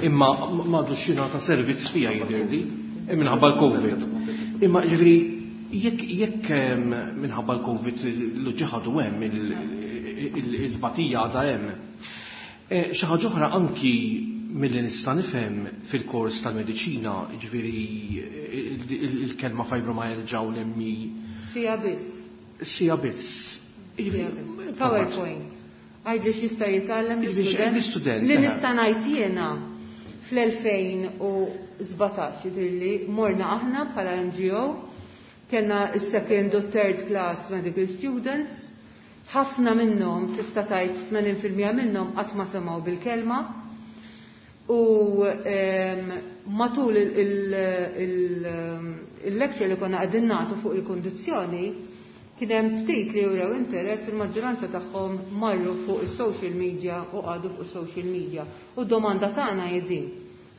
imma m'għadux jingħata servizz fiha jidhirli, minħabba l-Covid. Imma ġifieri jekk, jekk, em, minħabba l-Covid l-ġiħadu hemm, il-, il-, il-batija għadha hemm. Eh, xi ħaġa oħra anki milli nista' nifhem fil-kors tal-mediċina, ġifieri il-, il-, il-kelma fibromyalgia u l-M E. Sija biss. Sija biss. Sija biss. PowerPoint. Għajdli x'jista' jitgħallem Jiġifieri l-istudent. l-istudent, Li eh. nista' ngħid jiena fl-elfejn u sbatax jidhirli morna aħna bħala N G O, kellna s-second u third class medical students, ħafna minnhom tista' tgħid tmenin fil-mija minnhom qatt ma semgħu bil-kelma. U, em, matul il-, il-, il-, il-lecture li konna qegħdin nagħtu fuq il-kondizzjoni, kien hemm ftit li jurew interess, il-maġġoranza tagħhom marru fuq is-social media u qagħdu fuq is-social media. U d-domanda tagħna hi din: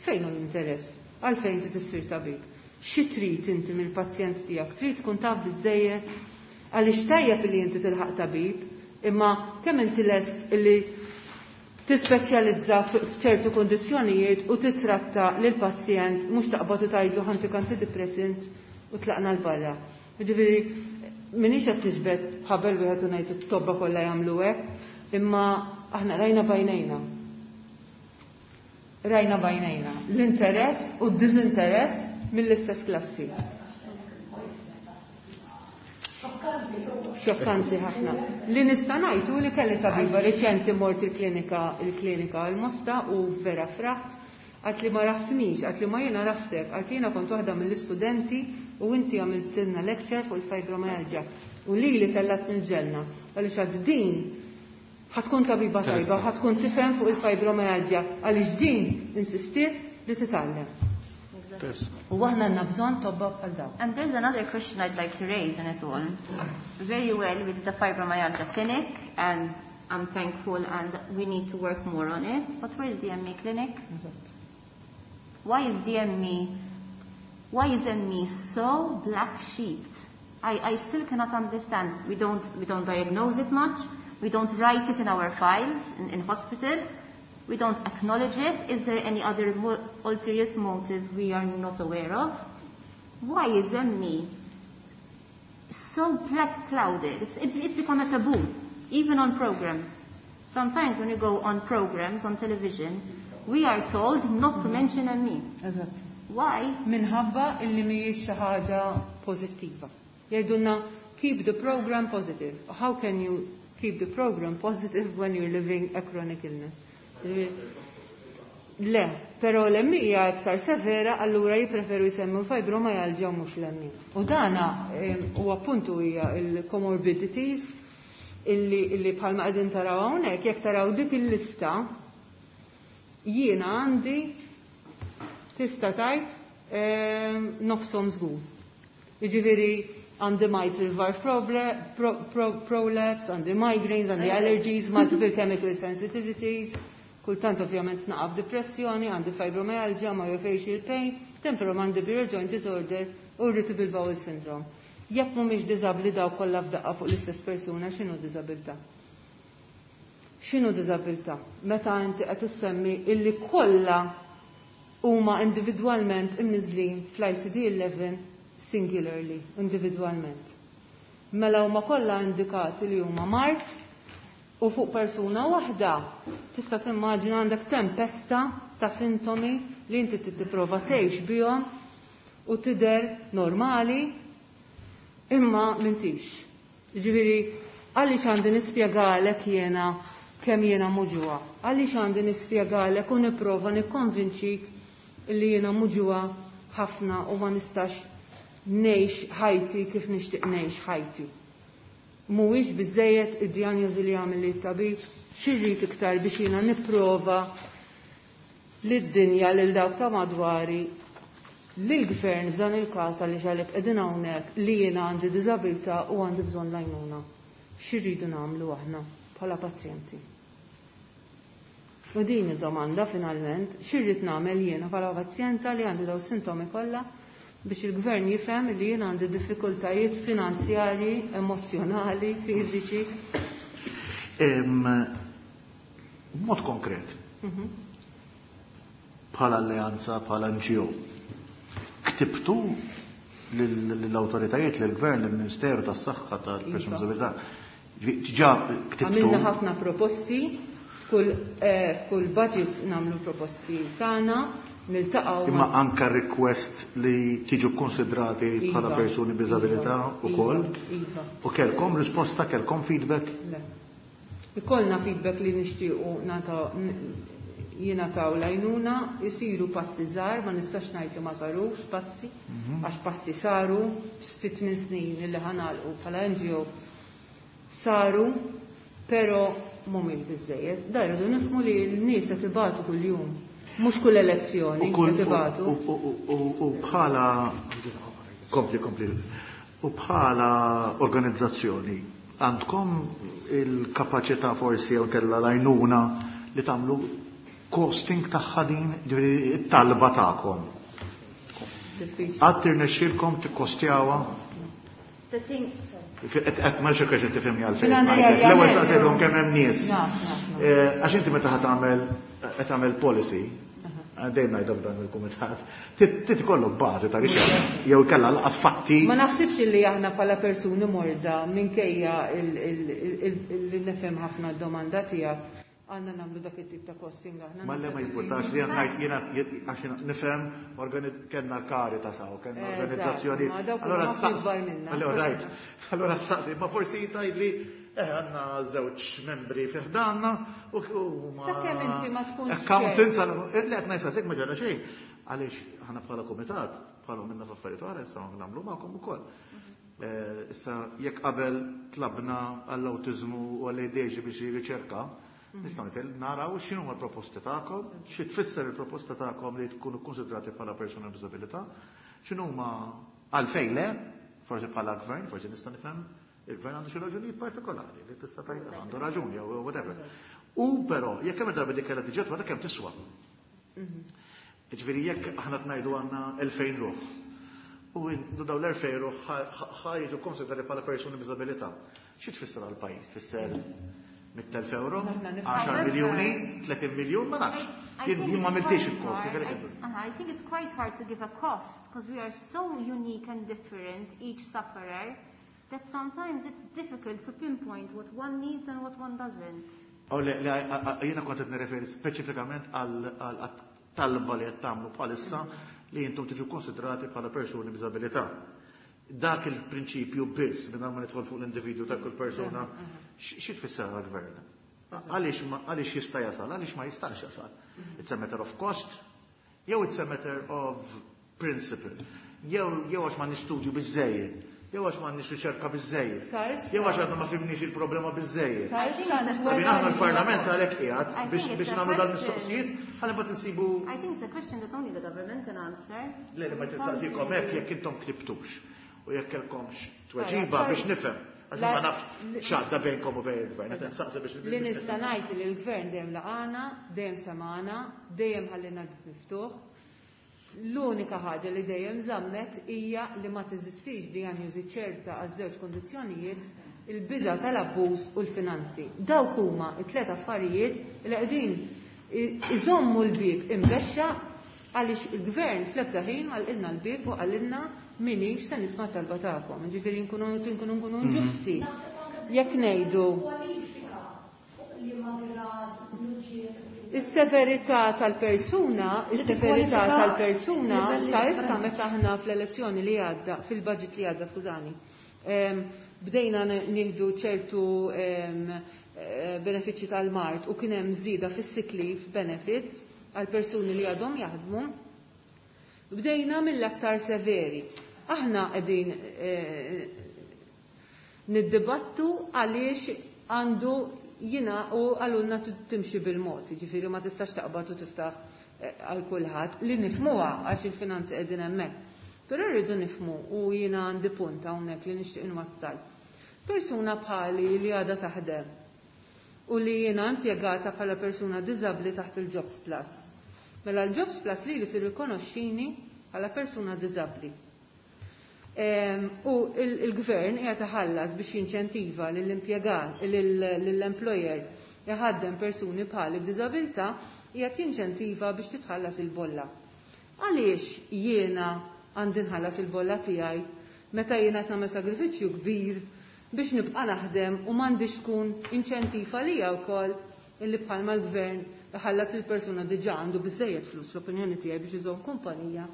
fejn hu l-interess? Għalfejn trid issir tabib? Xi trid inti mill-pazjent tiegħek? Trid tkun taf biżejjed? Għaliex tajjeb li inti tilħaq tabib, imma kemm inti lest illi tispeċjalizza f-, f'ċertu kondizzjonijiet u titratta lil pazjent mhux taqbad u tgħidlu ħantik antidepressant u tlaqna l barra. Jiġifieri minix qed tiġbed ħabel wieħed u ngħid it-tobba kollha jagħmlu hekk, imma aħna rajna bajnejna. Rajna bajnejna l-interess u d-diżinteress mill-istess klassi. Xokkanti ħafna. Li nista' ngħid hu li kelli tabiba riċenti mort il-klinika, il-klinika l-Mosta u vera fraħt, għat li ma raftnix, għat li ma jiena raftek, għat li jiena kont waħda mill-istudenti u inti għamiltilna lecture fuq il-fibromyalgia u li li tellat mill-ġenna. Għaliex għad din ħatkun tabiba tajba, ħatkun tifhem fuq il-fibromyalgia, għaliex din insistiet li titgħallem. U aħna għandna bżonn tobba bħal dawn. And there's another question I'd like to raise in it all. Very well with the fibromyalgia clinic, and I'm thankful, and we need to work more on it. But where is the M E clinic? Eżatt. Why is the M E, why is M E so black sheeped? I, I still cannot understand. We don't, we don't diagnose it much. We don't write it in our files in, in hospital. We don't acknowledge it. Is there any other mo-, ulterior motive we are not aware of? Why is M E so black clouded? It's, it, it's become a taboo, even on programs. Sometimes when you go on programs on television, We are told not to mention M E. Eżatt. Why? Minħabba illi mhijiex xi ħaġa pożittiva. Jgħidulna keep the program positive. How can you keep the program positive when you're living a chronic illness? Le, però l-M E hija iktar severa, allura jippreferu jsemmu fibromyalgia u mhux l-M E. U dana u appuntu hija il-comorbidities illi, illi bħalma qegħdin taraw hawnhekk, jekk taraw dik il-lista, jiena għandi tista' tgħid nofshom żgur. Jiġifieri għandi mitral valve pro, pro, prolapse, għandi migraines, għandi allergies, multiple chemical sensitivities, kultant ovvjament naqaf depressjoni, għandi fibromyalgia, myofascial pain, temporomandibular joint disorder u irritable bowel syndrome. Jekk mhumiex diżabbli daw kollha f'daqqa fuq l-istess persuna, x'inhu diżabilità? X'inhu diżabilità? Meta inti qed issemmi illi kollha huma individwalment imniżlin fl-I C D eleven singularly, individwalment. Mela huma kollha indikati li huma mard u fuq persuna waħda tista' timmaġina għandek tempesta ta' sintomi li inti tipprova tgħix bihom u tidher normali imma m'intix. Ġifieri, għaliex għandi nispjegalek jiena kemm jiena muġugħa? Għaliex għandi nispjegalek u nipprova nikkonvinċik li jiena muġugħa ħafna u ma nistax ngħix ħajti kif nixtieq ngħix ħajti? Mhuwiex biżejjed id-dijanjosi li għamel it-tabib, x'irrid iktar biex jiena nipprova lid-dinja, lil dawk ta' madwari, lill-gvern f'dan il-każ, għaliex għalhekk qegħdin hawnhekk, li jiena għandi diżabilità u għandi bżonn l-għajnuna? X'irridu nagħmlu aħna bħala pazjenti? U din id-domanda finalment, x'irrid nagħmel jiena bħala pazjenta li għandi daw sintomi kollha biex il-gvern jifhem li jiena għandi diffikultajiet finanzjarji, emozjonali, fiżiċi? Mod konkret, bħala alleanza, bħala N G O, ktibtu l-autoritajiet, l-gvern, l-Ministeru tas-Saħħa tal-Persuni B'Diżabilità? Ġa ktibtu? Għamilna ħafna proposti, f'kull eh, f'kull budget nagħmlu proposti tagħna, niltaqgħu Imma anka request li tiġu konsidrati bħala Iva. persuni b'diżabilità Iva, ukoll? Iva. U kelkom risposta, kelkom feedback? Le. Ikollna feedback li nixtiequ nata jingħataw l-għajnuna, jisiru passi żgħar, ma nistax ngħid li ma sarux passi, għax passi saru fit tmien snin li ħa nagħlqu bħala N G O saru, però mhumiex biżejjed. Da rridu nifhmu li l-nies qed ibatu kuljum, mhux kull elezzjoni U kull qed ibatu. u- u- u- u bħala kompli kompli u bħala organizzazzjoni għandkom il-kapaċità forsi jew kellha l-għajnuna li tagħmlu costing tagħha din, ġifieri it-talba tagħkom? Diffiċli. Qatt irnexxielkom tikkostjawha? The thing, sorry. Qed ma xekka xi tifhimni għalfejn. Finanzjarjament. L-ewwel saqsejthom kemm hemm nies. Naf, naf, naf. Eh, Għax inti meta ħa tagħmel qed tagħmel policy, dejjem ngħidha f'dan il-kumitat, trid ikollok bażi ta' riċerka jew kellha laqas fatti. Ma naħsibx li aħna bħala persuni morda, minkejja li nifhem ħafna d-domanda tiegħek, għandna nagħmlu dak it-tip ta' costing aħna. Ma le, ma jimpurtax li għandna jiena għax jiena nifhem kellna l-Caritas hawn, kellna Eżatt, organizzazzjoni. ma dawk Allora huma saqs- ikbar minna. Allora right. Allora saqsi, ma forsi tgħidli eh għandna żewġ membri fi ħdanna u u ma Sakemm inti ma tkunx accountants għal le qed ngħid ma ġara xejn. Għaliex aħna bħala kumitat, bħala minna f'affarijiet oħra issa nagħmlu magħkom ukoll. Eh, Issa jekk qabel tlabna għall-awtiżmu u għall-A D H D biex riċerka, nistgħu nitel naraw x'inhu l-proposti tagħkom, xi tfisser il-proposta tagħkom li tkunu konsidrati bħala persuna b'diżabilità, x'inhuma għalfejn le, forsi bħala gvern, forsi nista' nifhem il-gvern għandu xi raġunijiet partikolari li tista' tgħid għandu raġuni jew whatever. U però jekk hemm darba dik kellha tiġi wara kemm tiswa. Ġifieri jekk aħna tnajdu għandna elfejn ruħ. U daw l-elfejn ruħ ħa jiġu konsidrati bħala persuni b'diżabilità. Xi tfisser għall-pajjiż? Tfisser mitt elf euro, għaxar miljuni, tletin miljun, ma nafx. Jien ma għamiltix il-kost. I think it's quite hard to give a cost because we are so unique and different, each sufferer, that sometimes it's difficult to pinpoint what one needs and what one doesn't. Jiena kont qed nirreferi speċifikament għal talba li qed tagħmlu bħalissa li intom tiġu konsidrati bħala persuni b'diżabilità. Dak il-prinċipju biss mingħajr ma nidħol fuq l-individwu ta' kull persuna, xi tfisser għall-gvern? Għaliex jista' jasal, għaliex ma jistax jasal? It's a matter of cost, jew it's a matter of principle, jew għax ma nistudju biżejjed, jew għax m'għandniex riċerka biżejjed, jew għax għadna ma fhimniex il-problema biżejjed. Għabin aħna l-Parlament għalhekk qiegħed biex nagħmlu dal-mistoqsijiet, ħalli mbagħad insibu. I think it's a question that only the government can answer. Le, ma tistaqsikom hekk jekk intom ktibtux u jekk kellkomx tweġiba biex nifhem. Għax ma nafx x'għadda bejnkom u bejn il-gvern, qed insaqsi biex. Li nista' ngħid li l-gvern dejjem laqana, dejjem semana, dejjem ħallina miftuħ. L-unika ħaġa li dejjem żammet hija li ma teżistix dijanjosi ċerta għaż-żewġ kondizzjonijiet, il-biża' tal-abbuż u l-finanzi. Dawk huma t-tliet affarijiet li qegħdin iżommu l-bieb imbexxa għaliex il-gvern fl-ebda ħin għalqilna l-bieb u qalilna minix se nisma' talba tagħkom. Ġifieri nkunu nkunu nkunu ġusti. Jekk ngħidu is-severità tal-persuna, is-severità tal-persuna sa issa meta aħna fl-elezzjoni li għadda, fil-budget li għadda, skużani, bdejna nieħdu ċertu benefiċċji tal-mart u kien hemm żieda fis-sick leave benefits għal persuni li għadhom jaħdmu, bdejna mill-aktar severi. Aħna qegħdin niddibattu għaliex għandu jina u għalunna timxi bil-mod, ġifiri ma tistax taqbad u tiftaħ għal kulħadd li nifmuha għax il-finanzi qegħdin hemmhekk. Però rridu nifmu u jiena għandi punt hawnhekk li nixtieq inwassal. Persuna bħali li għadha taħdem u li jiena impjegata bħala persuna diżabbli taħt il-Jobs Plus. Mela l-Jobs Plus li li tirrikonoxxini bħala persuna diżabbli. U il-gvern qiegħed iħallas biex jinċentiva lill-impjegat, lill-employer iħaddem persuni bħali b'diżabilità, qiegħed jinċentiva biex titħallas il-bolla. Għaliex jiena għandi nħallas il-bolla tiegħi meta jiena qed nagħmel sagrifiċċju kbir biex nibqa' naħdem u m'għandix tkun inċentiva lija wkoll illi bħalma l-gvern iħallas il-persuna diġà għandu biżejjed flus l-opinjoni tiegħi biex iżomm kumpanija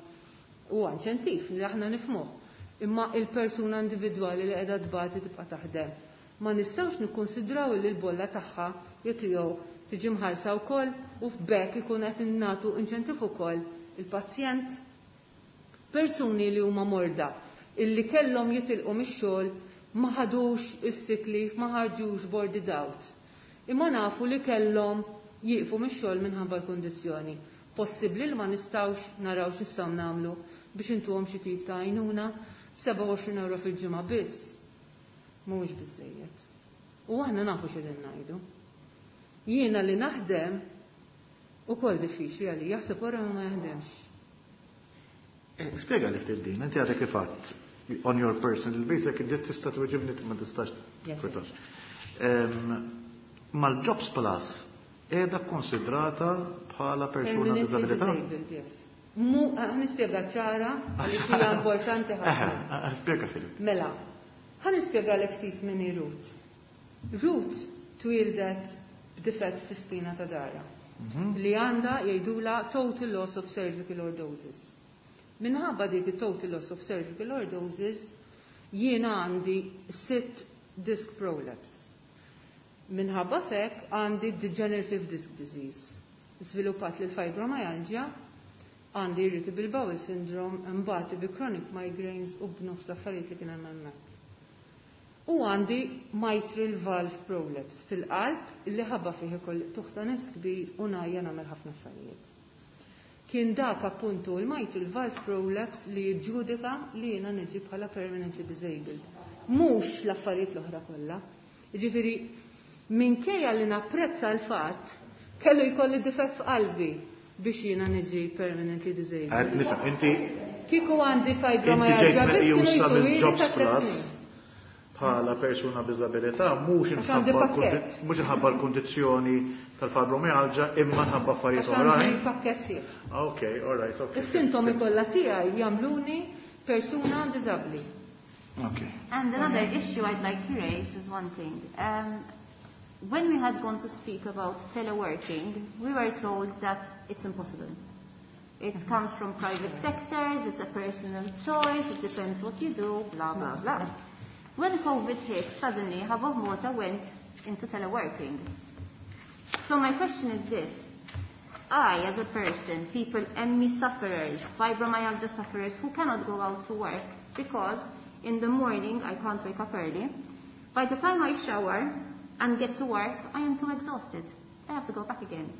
u inċentiv li aħna nifhmuh. Imma il-persuna individwali li qiegħda tbati tibqa' taħdem. Ma nistgħux nikkonsidraw li l-bolla tagħha jew tiegħu tiġi mħallsa wkoll u f'bekk ikun qed innatu inċentiv ukoll il-pazjent. Persuni li huma morda illi kellhom jitilqu mix-xogħol ma ħadux is-sick leave, ma ħarġux boarded out. Imma nafu li kellhom jieqfu mix-xogħol minħabba l-kundizzjoni. Possibbli li ma nistgħux naraw x'nistgħu nagħmlu biex intuhom xi tip ta' għajnuna b'sebgħa u għoxrin euro fil-ġimgħa biss. Mhuwiex biżejjed. U aħna nafu x'qegħdin ngħidu. Jiena li naħdem ukoll diffiċli għalija, jaħseb wara ma jaħdemx. Spjega li ftit din, inti għadek kif għadt on your personal basis, jekk inti tista' tweġibni ma tistax twetax. Mal-Jobs Plus qiegħda konsidrata bħala persuna b'diżabilità? Mu, ħanispjega ċara għaliex hija importanti ħafna. Spjega Filip. Mela, ħanispjega lek ftit min hi Ruth. Ruth twildet b'difett fis-spina ta' dara li għandha jgħidula total loss of cervical lordosis. Minħabba dik il-total loss of cervical lordosis jiena għandi sitt disc prolapse. Minħabba fek għandi degenerative disc disease. Sviluppat lil fibromyalgia, għandi irritable bowel syndrome, imbagħad bi chronic migraines u b'nofs l-affarijiet li kien hemm hemmhekk. U għandi mitral valve prolapse fil-qalb li ħabba fih ukoll tuħta nifs kbir u ngħajja nagħmel ħafna affarijiet. Kien dak appuntu il-mitral valve prolapse li jiġġudika li jiena niġi bħala permanently disabled. Mhux l-affarijiet l-oħra kollha. Jiġifieri minkejja li napprezza l-fatt kellu jkolli difett f'qalbi biex jiena niġi permanently disabled. Għad nifhem, inti Kieku għandi fibromyalgia Inti biss ġejt kienu meqjusa jtuli mill-Jobs ta' tliet Plus snin. bħala persuna b'diżabilità mhux Għax għandi inħabba pakkett. mhux inħabba l-kundizzjoni tal-fibromyalgia imma nħabba affarijiet Għax għandi oħrajn. pakkett sieħ. Ok, all right, ok. Is-sintomi kollha tiegħi jagħmluni persuna diżabbli. Ok. And another issue I'd like to raise is one thing. Um, When we had gone to speak about teleworking, we were told that it's impossible. It comes from private sectors, it's a personal choice, it depends what you do, blah, blah, blah. When COVID hit, suddenly half of Malta went into teleworking. So my question is this. I, as a person, people, M E sufferers, fibromyalgia sufferers who cannot go out to work because in the morning I can't wake up early. By the time I shower and get to work, I am too exhausted. I have to go back again.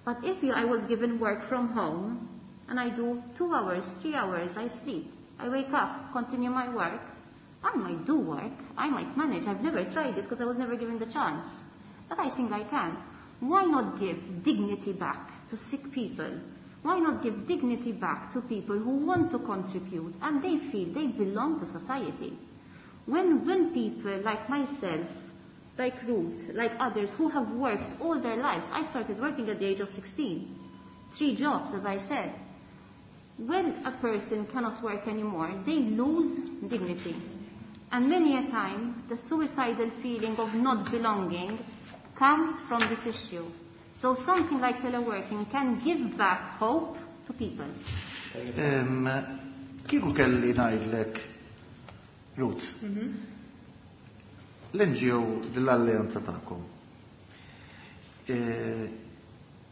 But if you, I was given work from home, and I do two hours, three hours, I sleep. I wake up, continue my work. I might do work. I might manage. I've never tried it because I was never given the chance. But I think I can. Why not give dignity back to sick people? Why not give dignity back to people who want to contribute and they feel they belong to society? When, when people like myself, like Ruth, like others who have worked all their lives, I started working at the age of sixteen, three jobs, as I said. When a person cannot work anymore, they lose dignity. And many a time, the suicidal feeling of not belonging comes from this issue. So something like teleworking can give back hope to people. Kieku kelli ngħidlek, Ruth, l-N G O l-alleanza tagħkom,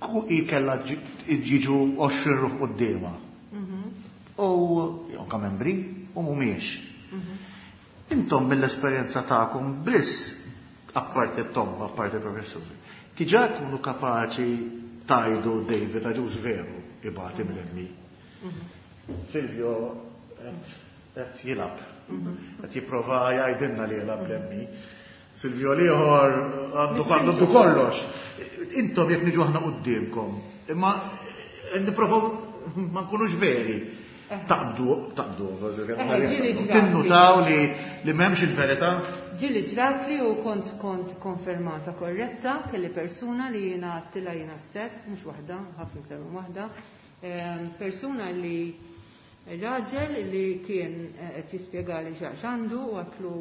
ku i kellha jiġu għoxrin ruħ quddiemha. U anke membri u mhumiex. Intom mill-esperjenza tagħkom biss, apparti t-tomba, apparti professuri, diġà tkunu kapaċi tajdu David Agius veru ibati mill-M E. Silvio qed jilgħab, qed jipprova jgħidilna li jilgħab l-M E. Silvio l-ieħor għandu għandu kollox. Intom jekk niġu aħna quddiemkom, imma nipprovaw ma nkunux veri. Taqbdu, taqbdu, tinnutaw li li m'hemmx il-verità. Ġieli ġrat li u kont kont konfermata korretta kelli persuna li jiena għattilha jiena stess, mhux waħda, ħafna iktar minn waħda, persuna li raġel li kien qed jispjegali x'għandu u għatlu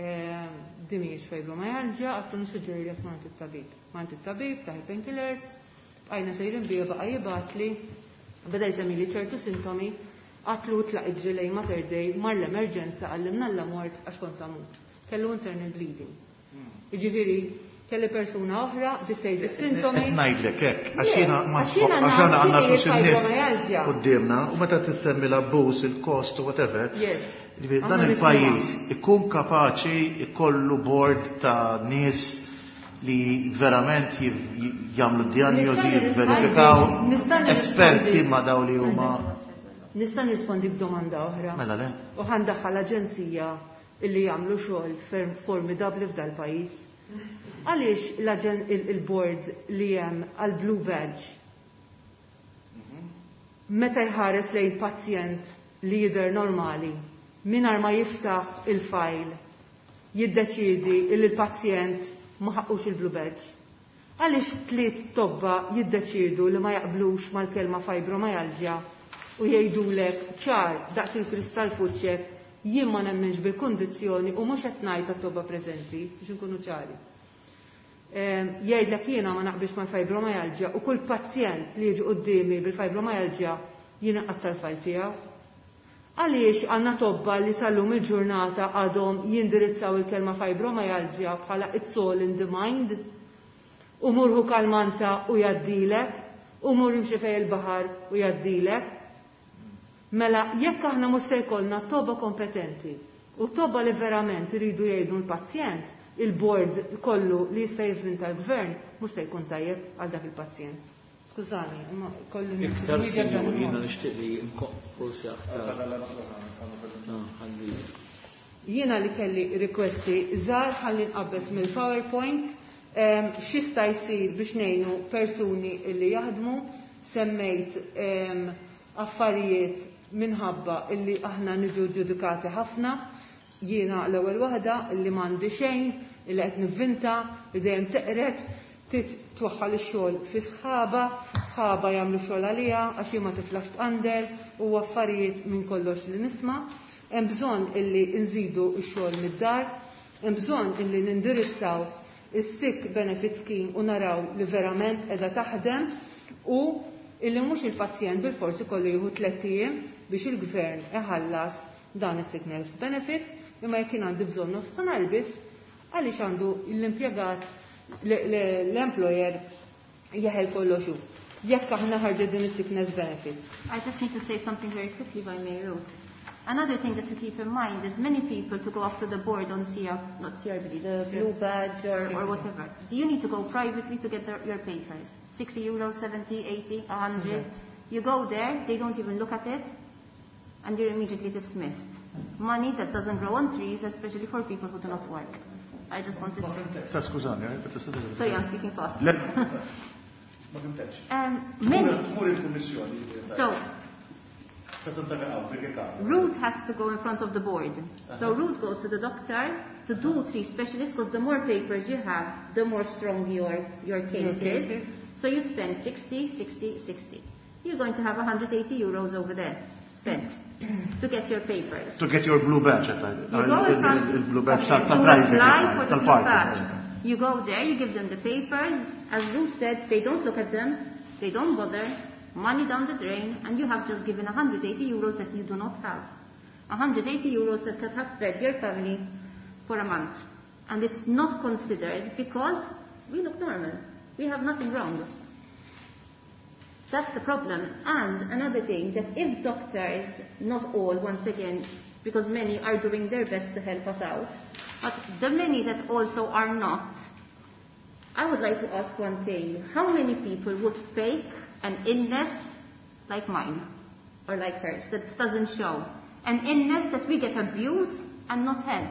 din mhijiex fibromyalgia, għatlu nissuġġeri li tmur it-tabib. Mant it-tabib, taħi painkillers, bqajna sejrin bija baqa' jibgħatli, beda jsemmi li ċertu sintomi, għatlu tlaq iġri lejn Mater Dei, mar l-emerġenza għallimna l-mort għax kont samut. Kellu internal bleeding. Jiġifieri, kelli persuna oħra bdiet tgħid is-sintomi. Qed ngħidlek hekk, għax jiena ma għax aħna għandna flus in-nies quddiemna u meta tissemmi l-abbuż, il-kost u whatever. Jiġifieri dan il-pajjiż ikun kapaċi jkollu board ta' nies li verament jagħmlu diagnosi, jivverifikaw esperti ma' daw li huma. Nista' nirrispondi b'domanda oħra. Mela le. U ħandaħħal l-aġenzija illi jagħmlu xogħol ferm formidabbli f'dal pajjiż. Għaliex il-board li hemm għal Blue Badge meta jħares lejn pazjent li jidher normali mingħajr ma jiftaħ il-fajl jiddeċiedi li l-pazjent ma ħaqqux il-Blue Badge. Għaliex tliet tobba jiddeċiedu li ma jaqblux mal-kelma fibromyalgia u jgħidulek ċar daqs il-kristall fuċċek jien ma nemminx bil-kundizzjoni u mhux qed ngħid għat-tobba preżenti biex inkunu ċari. Jgħidlek jiena ma naqbilx mal-fibromyalgia u kull pazjent li jiġi quddiemi bil-fibromyalgia jiena qatta l-fajl tiegħu. Għaliex għandna tobba li sal-lum il-ġurnata għadhom jindirizzaw il-kelma fibromyalgia bħala it's all in the mind u murħu kalmanta u jaddilek u mur imxi fej il-baħar u jaddilek. Mela, jekk aħna mhux se jkollna tobba kompetenti u tobba li verament iridu jgħidu l-pazjent, il-board kollu li jista' jivvinta l-gvern mhux se jkun tajjeb għal dak il-pazjent. Skużani, imma kollu Iktar sinjur, jiena nixtieq li forsi aktar. Jiena li kelli rekwesti żgħar ħalli nqabbeż mill-PowerPoint, x'jista' jsir biex ngħinu persuni li jaħdmu, semmejt affarijiet minħabba illi aħna niġu ġudikati ħafna, jiena l-ewwel waħda illi m'għandi xejn, illi qed nivvinta, li dejjem teqret, tit twaħħal ix-xogħol fi sħaba, sħaba jagħmlu xogħol għaliha għax hi ma tiflax tqandel u affarijiet minn kollox li nisma'. Hemm bżonn illi nżidu x-xogħol mid-dar, hemm bżonn illi nindirizzaw is-sick benefit scheme u naraw li verament qiegħda taħdem u illi mhux il-pazjent bil-forsi kollu jieħu tliet ijiem biex il-gvern iħallas dan is-sickness benefit, imma jekk jien għandi bżonn nofs ta' nhar biss, għaliex għandu l-impjegat l-employer jeħel kollox hu. Jekk aħna ħarġet din is-sickness benefit. I just need to say something very quickly, if I may, Ruth. Another thing that to keep in mind is many people to go up to the board on C R, not C R B D, the blue badge or, or whatever. You need to go privately to get the, your papers. sixty euros, seventy, eighty, a hundred. Mm-hmm. You go there, they don't even look at it, and you're immediately dismissed. Money that doesn't grow on trees, especially for people who do not work. I just wanted to... Sa skużani, eh? Sorry, I'm speaking fast. Le, ma fimtekx. Um, many... Tmur il-kummissjoni. So, Ruth has to go in front of the board. Uh-huh. So Ruth goes to the doctor to do three specialists, because the more papers you have, the more strong your, your case your is. Case is. So you spend sixty, sixty, sixty. You're going to have a hundred eighty euros over there spent to get your papers. To get your blue badge. At You go in front, il blue badge okay, tal to private, apply for the tal blue party. badge. You go there, you give them the papers. As Ruth said, they don't look at them, they don't bother. Money down the drain, and you have just given a hundred eighty euros that you do not have. a hundred eighty euros that could have fed your family for a month. And it's not considered because we look normal. We have nothing wrong. That's the problem. And another thing, that if doctors, not all, once again, because many are doing their best to help us out, but the many that also are not, I would like to ask one thing. How many people would fake an illness like mine or like hers that doesn't show? An illness that we get abused and not help.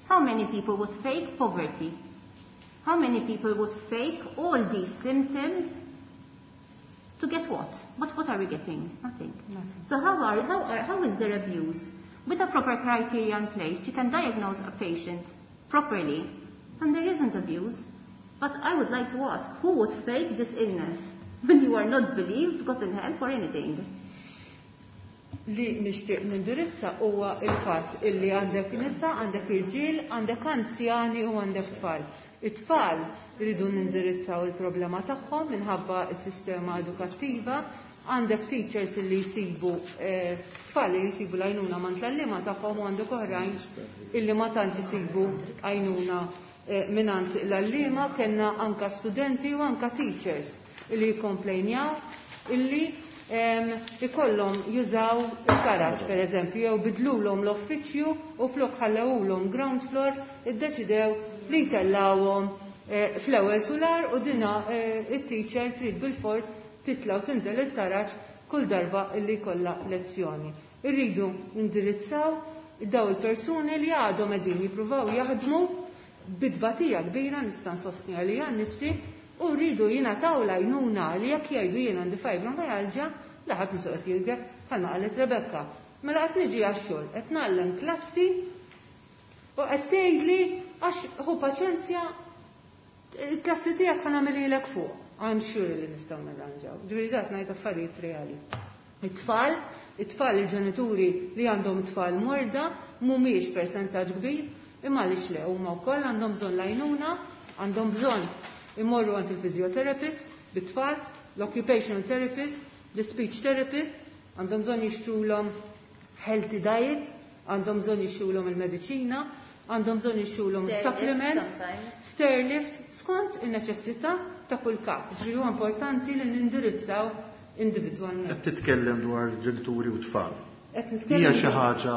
How many people would fake poverty? How many people would fake all these symptoms to get what? But what are we getting? Nothing. Nothing. So how are, how are, how is there abuse? With a proper criteria in place, you can diagnose a patient properly, and there isn't abuse. But I would like to ask, who would fake this illness when you are not believed, gotten help or anything? Li nixtieq nindirizza huwa il-fatt illi għandek nisa, għandek irġiel, għandek anzjani u għandek tfal. It-tfal iridu nindirizzaw il-problema tagħhom minħabba s-sistema edukattiva, għandek teachers illi jsibu, eh, tfal li jsibu l-għajnuna ma' l-għalliema tagħhom u għandek oħrajn illi ma tantx isibu għajnuna, eh, mingħand l-għalliema. Kellna anka studenti u anka teachers illi jikkomplejnjaw illi, em, ikollhom jużaw il-karaġ, per eżempju, jew bidlulhom l-uffiċċju u flok ħallewulhom ground floor, iddeċidew li jtellawhom, eh, fl-ewwel sular u dina, eh, it-teacher trid bil-fors titla' u tinżel it-taraġ kull darba illi jkollha lezzjoni. Irridu indirizzaw daw il-persuni li għadhom qegħdin jippruvaw jaħdmu bidbatija kbira, nista' nsostni għalija nnifsi, u rridu jingħataw l-għajnuna li jekk jgħidu jien għandi fibromyalgia, laħat mhux qed jilgħeb bħalma qalet Rebecca. Mela qed niġi għax-xogħol, qed ngħallem klassi u qed tgħidli għax ħu paċenzja, il-klassi tiegħek ħa nagħmililek fuq. I'm sure li nistgħu nirranġaw. Ġifieri dak ngħid affarijiet reali. It-tfal, it-tfal il-ġenituri li għandhom tfal morda mhumiex persentaġġ kbir, imma għaliex le huma wkoll għandhom bżonn l-għajnuna, għandhom bżonn imorru għand il-physiotherapist bit-tfal, l-occupational therapist, l-speech therapist, għandhom bżonn jixtrulhom healthy diet, għandhom bżonn jixtrulhom il-mediċina, għandhom bżonn jixtrulhom Stairlift supplements, sometimes. stairlift, skont in-neċessità ta' kull każ. Ġifieri huwa importanti li nindirizzaw individwalment. Qed titkellem dwar ġenituri u tfal. Qed nitkellem Hija xi ħaġa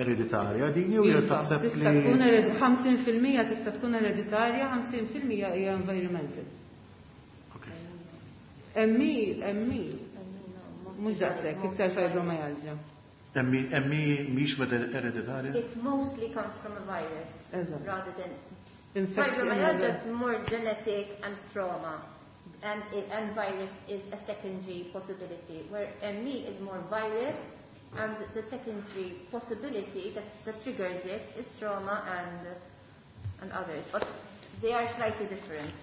ereditarja din jew hija Iva, taħseb tista' li tkun ered-, ħamsin fil-mija tista' tkun ereditarja, ħamsin fil-mija hija environmental. Okay. M E, M E, mhux daqshekk, iktar fibromyalgia. M E, M E mhix ereditarja? It mostly comes from a virus Eżatt. rather than Infection. Fibromyalgia is more genetic and trauma, and, and virus is a secondary possibility, where M E is more virus, and the secondary possibility that, that triggers it is trauma and, and others. But they are slightly different.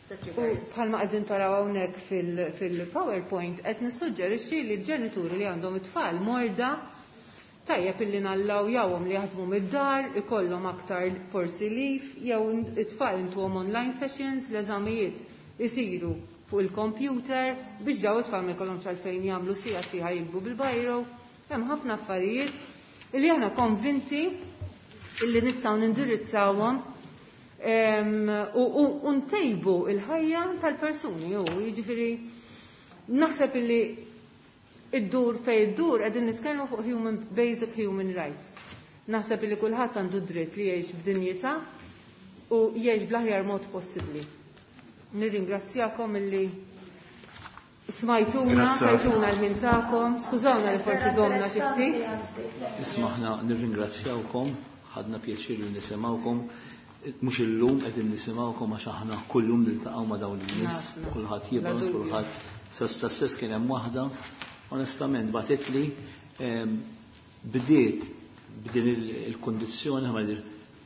The U triggers. bħalma qegħdin taraw hawnhekk fil-, fil-PowerPoint qed nissuġġerixxi li l-ġenituri li għandhom it-tfal morda Tajjeb illi nallawjawhom li jaħdmu mid-dar, ikollhom aktar forsi leave, jew it-tfal intuhom online sessions, l-eżamijiet isiru fuq il-computer biex daw it-tfal ma jkollhomx għalfejn jagħmlu sija sieħa jikbu bil-bajro. Hemm ħafna affarijiet illi aħna konvinti illi nistgħu nindirizzawhom u ntejbu il-ħajja tal-persuni u jiġifieri naħseb illi id-dur fej id-dur qegħdin nitkellmu fuq human basic human rights. Naħseb illi kulħadd għandu dritt li jgħix b'dinjità u jgħix bl-aħjar mod possibbli. Nirringrazzjakom illi smajtuna, tajtuna l-ħin tagħkom, skużawna li forsi domna xi ftit. Isma' aħna nirringrazzjawkom, ħadna pjaċir li nisimgħukom, mhux illum qegħdin nisimgħukom għax aħna kullum niltaqgħu ma' dawn in-nies, kulħadd jibgħat, kulħadd sa stess kien hemm waħda, onestament bagħtitli bdiet b'din il-kondizzjoni ħa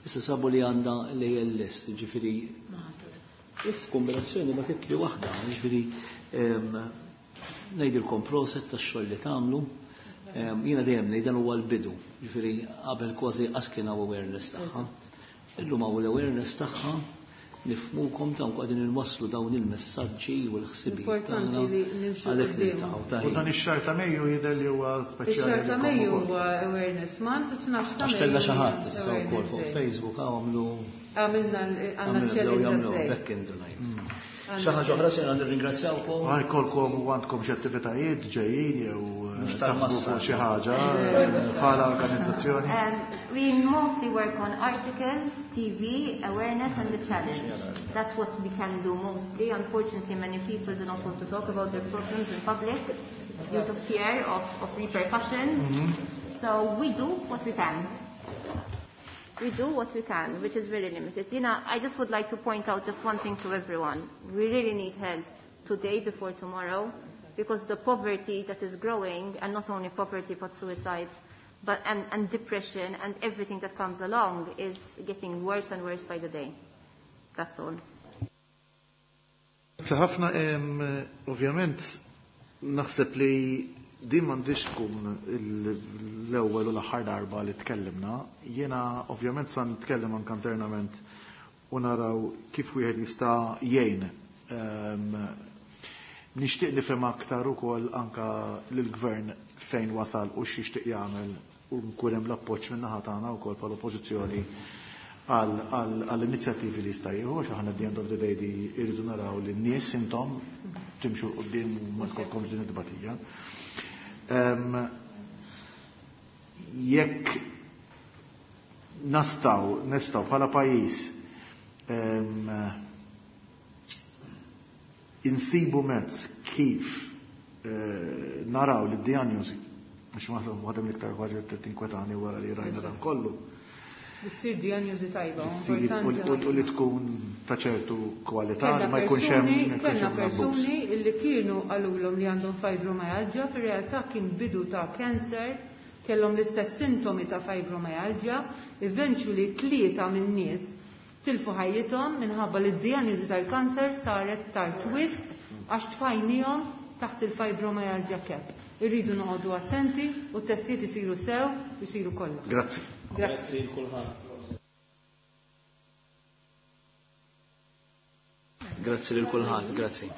issa sabu li għandha l-A L S, ġifieri kombinazzjoni bagħtitli waħda, ġifieri ngħidilkom proset tax-xogħol li tagħmlu. Jiena dejjem ngħid dan huwa l-bidu, ġifieri qabel kważi qas kien hawn awareness tagħha. Illum hawn l-awareness tagħha, nifhmukom ta' qegħdin inwasslu dawn il-messaġġi u l-ħsibijiet. Importanti li nimxu għalhekk quddiem. niltaqgħu ta' U dan ix-xahar ta' Mejju jidher li huwa speċjali. Ix-xahar ta' lilkom Mejju ukoll. huwa awareness month, u tnax ta' Għax kellha xi Mejju ħadd issa wkoll fuq awareness day. Facebook hawn għamlu Għamilna l-, għandna għamilna bdew challenge jagħmlu għaddej. back in the night. Għandna Xi ħaġa oħra se nirringrazzjawkom. Għal jkollkom u għandkom xi attivitajiet ġejjin jew Mhux taħdmu tal-massa. fuq xi ħaġa bħala organizzazzjoni. Um, we mostly work on articles, T V, awareness and the challenge. That's what we can do mostly. Unfortunately, many people do not want to talk about their problems in public due to fear of, of repercussions. Mm-hmm. So we do what we can. We do what we can, which is very limited. You know, I just would like to point out just one thing to everyone. We really need help today before tomorrow, because the poverty that is growing, and not only poverty but suicides, but and, and depression and everything that comes along is getting worse and worse by the day. That's all. Grazie ħafna, em, ovvjament naħseb li din m'għandix tkun l-ewwel u l-aħħar darba li tkellimna. Jiena ovvjament sa nitkellem anke internament u naraw kif wieħed jista' jgħin. Em, nixtieq nifhem aktar ukoll anke lill-gvern fejn wasal u x'jixtieq jagħmel u nkun hemm l-appoġġ min-naħa tagħna wkoll bħala oppożizzjoni għall-inizjattivi li jista' jieħu, għax aħna at the end of the day di irridu naraw li n-nies intom timxu 'l quddiem u ma tkollkomx din it-tbatija. Em, jekk nastaw, nistaw bħala pajjiż, em, insibu mezz kif, eh, naraw li d-diagnosi, għax ma waħda mill-iktar ħaġa li tinkwetani wara li rajna dan kollu. Issir diagnosi tajba, Issir importanti u, u, u li ħafna. tkun ta' ċertu kwalità, Kellna li ma jkunx hemm, persuni, ma jkunx kellna hemm abbuż. persuni li kienu qalulhom li għandhom fibromyalgia, fir-realtà kien bidu ta' cancer, kellhom l-istess sintomi ta' fibromyalgia, eventually tlieta minn nies tilfu ħajjithom minħabba li d-diagnosi tal-kanser saret tard wisq għax tfajnihom taħt il-fibromyalgia cap. Irridu noqogħdu attenti u t-testijiet isiru sew, isiru kollha. Grazzi. Grazzi. Grazzi lil kulħadd. Grazzi lil kulħadd, grazzi.